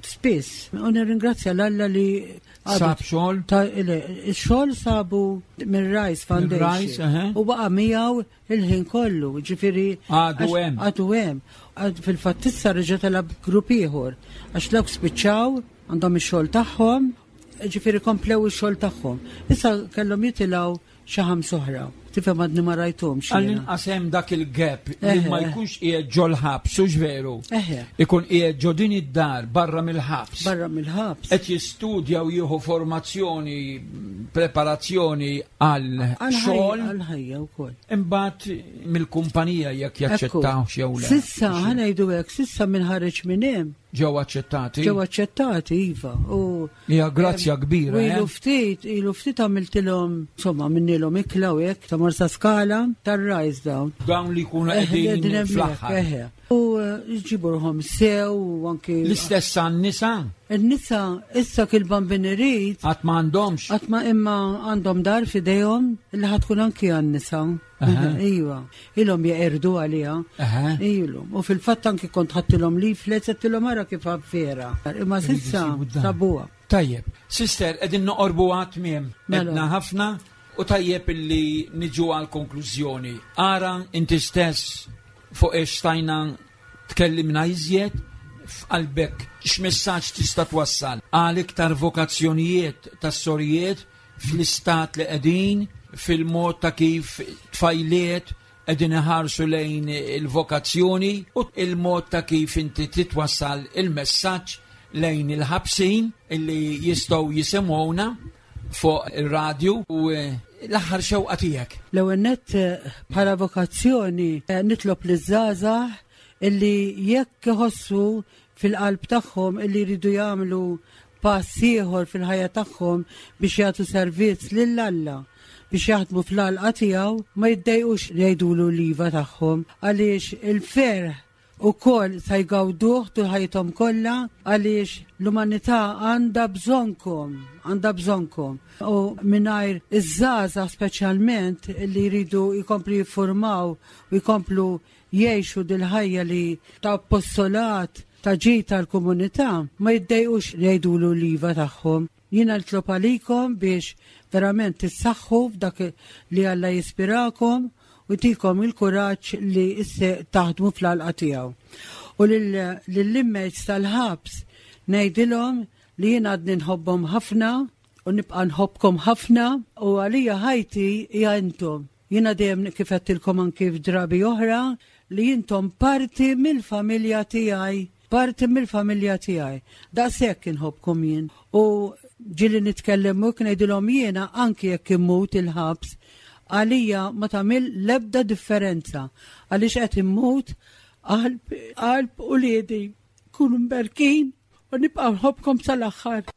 spiss. U nirringrazzja l-Alla li Sab xogħol? Ix-xogħol sabu minn Rice Foundation. U baqa' miegħu il-ħin kollu, ġifieri għadu hemm. Għadu hemm. Fil-fatt issa reġa' telab grupp ieħor għax dawk spiċċaw għandhom ix-xogħol tagħhom, ġifieri komplew ix-xogħol tagħhom. Issa kellhom jitilgħu xi ħams oħra. Tifhem għadni ma rajthomx. Għall-inqas hemm dak il-gap li ma jkunx qiegħed ġol-ħabs, hux veru. Ikun qiegħed ġo din id-dar barra mill-ħabs. Barra mill-ħabs. Qed jistudja u jieħu formazzjoni, preparazzjoni għal xogħol. Għal ħajja wkoll. Imbagħad mill-kumpanija jekk jaċċettaw jew le. Sissa ħa ngħidu hekk, sissa minn ħareġ minn hemm. Ġew aċċettati? Ġew aċċettati, iva. U hija grazzja kbira. Ilu ftit, ilu ftit għamiltilhom, insomma, minnilhom ikla u hekk ta' Marsaskala tar-Rise dawn. Dawn li jkunu qegħdin fl-aħħar. U jġibu ruħhom sew u anki. L-istess għan-nisa? In-nisa issa kil-bambin irid. Qatt ma għandhomx. Qatt ma imma għandhom dar f'idejhom illi ħa tkun anki għan-nisa. Iva, ilhom jeqirdu għaliha. Ilhom. U fil-fatt anki kont ħadtilhom leaflets għedtilhom ara kif vera. Imma s'issa sabuha. Tajjeb, sister, qegħdin noqorbu għat-tmiem. Edna ħafna u tajjeb illi niġu għal konklużjoni. Ara inti stess fuq ix stajna tkellimna iżjed f'qalbek x'messaġġ tista' twassal għal iktar vokazzjonijiet tas-sorijiet fl-istat li qegħdin, fil-mod ta' kif tfajliet qegħdin iħarsu lejn il-vokazzjoni u il-mod ta' kif inti titwassal il-messaġġ lejn il-ħabsin illi jistgħu jisimgħuna fuq ir-radju u l-aħħar xewqa tiegħek. L-ewwel nett bħala vokazzjoni nitlob liż-żgħażagħ illi jekk iħossu fil-qalb tagħhom illi jridu jagħmlu pass ieħor fil-ħajja tagħhom biex jagħtu servizz lil Alla, biex jaħdmu fl-għalqa tiegħu, ma jiddejqux jgħidulu l-iva tagħhom għaliex il-ferħ ukoll sa jgawduh tul ħajjithom kollha għaliex l-umanità għandha bżonnkom, għandha bżonnkom. U mingħajr iż-żgħażagħ speċjalment li jridu jkomplu jiffurmaw u jkomplu jgħixu dil-ħajja li ta' appostolat ta' ġid tal-komunità, ma jiddejqux jgħidulu l-iva tagħhom. Jiena nitlob għalikom biex verament tissaħħu f'dak li Alla jispirakom u jtikom il-kuraġġ li isse taħdmu fl-għalqa tiegħu. U lill-inmates tal-ħabs ngħidilhom li jiena għadni nħobbhom ħafna u nibqa' nħobbkom ħafna u għalija ħajti hija intom. Jiena dejjem kif għedtilkom anki f'drabi oħra li intom parti mill-familja tiegħi, parti mill-familja tiegħi. Daqshekk inħobbkom jien. U ġieli nitkellem u ngħidilhom jiena anki jekk immut il-ħabs, għalija ma tagħmel l-ebda differenza għaliex qed immut qalb qalb uliedi. Kunu mberkin u nibqa' nħobbkom sal-aħħar.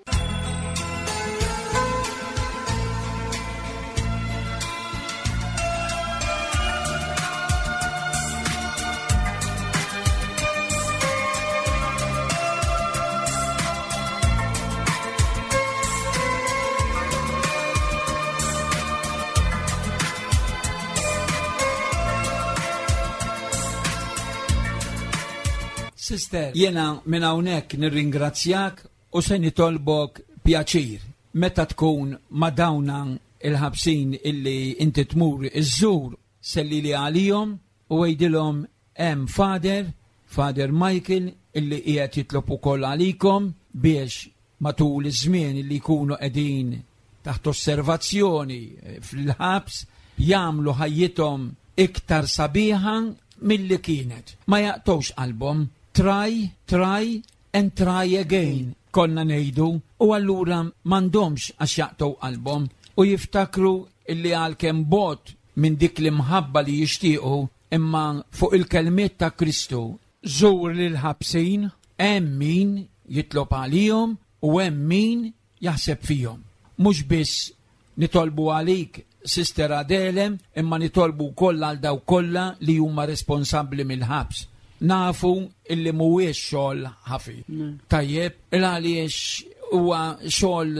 Sister, jena minn hawnhekk nirringrazzjak u se nitolbok pjaċir meta tkun ma' dawna il-ħabsin illi inti tmur iżżur, selli li għalihom u għidilhom hemm Father, Father Michael illi qiegħed jitlob ukoll għalikom biex matul iż-żmien illi jkunu qegħdin taħt osservazzjoni fil-ħabs jagħmlu ħajjithom iktar sabiħa milli kienet. Ma jaqtgħux qalbhom. Try, try and try again, konna ngħidu, u allura m'għandhomx għax jaqtgħu qalbhom u jiftakru illi għalkemm bot minn dik l-imħabba li jixtiequ, imma fuq il-kelmiet ta' Kristu, żur lil ħabsin, hemm min jitlob għalihom u hemm min jaħseb fihom. Mhux biss nitolbu għalik, Sister Adele, imma nitolbu wkoll għal dawk kollha li huma responsabbli mill-ħabs. Nafu illi mhuwiex xogħol ħafif. Tajjeb, il għaliex huwa xogħol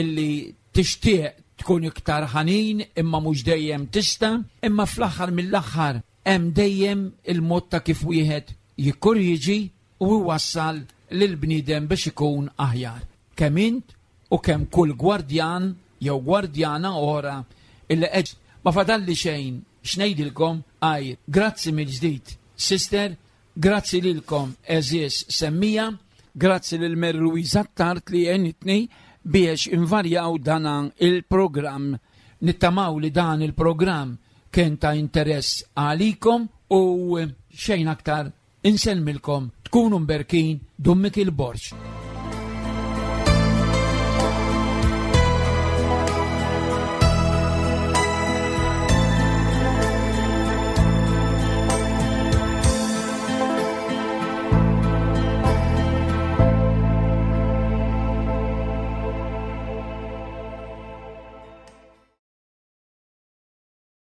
illi tixtieq tkun iktar ħanin imma mhux dejjem tista', imma fl-aħħar mill-aħħar hemm dejjem il-mod ta' kif wieħed jikkorriġi u jwassal lill-bniedem biex ikun aħjar. Kemm int u kemm kull gwardjan jew gwardjana oħra illi qed ma fadalli xejn x'ngħidilkom għajr. Grazzi mill-ġdid, sister, grazzi lilkom għeżież semmiegħa, grazzi lil Mary Louise Attard li għenitni biex invarjaw dan il-programm. Nittamaw li dan il-programm kien ta' interess għalikom u xejn aktar insellmilkom tkunu mberkin Dun Mikiel Borg.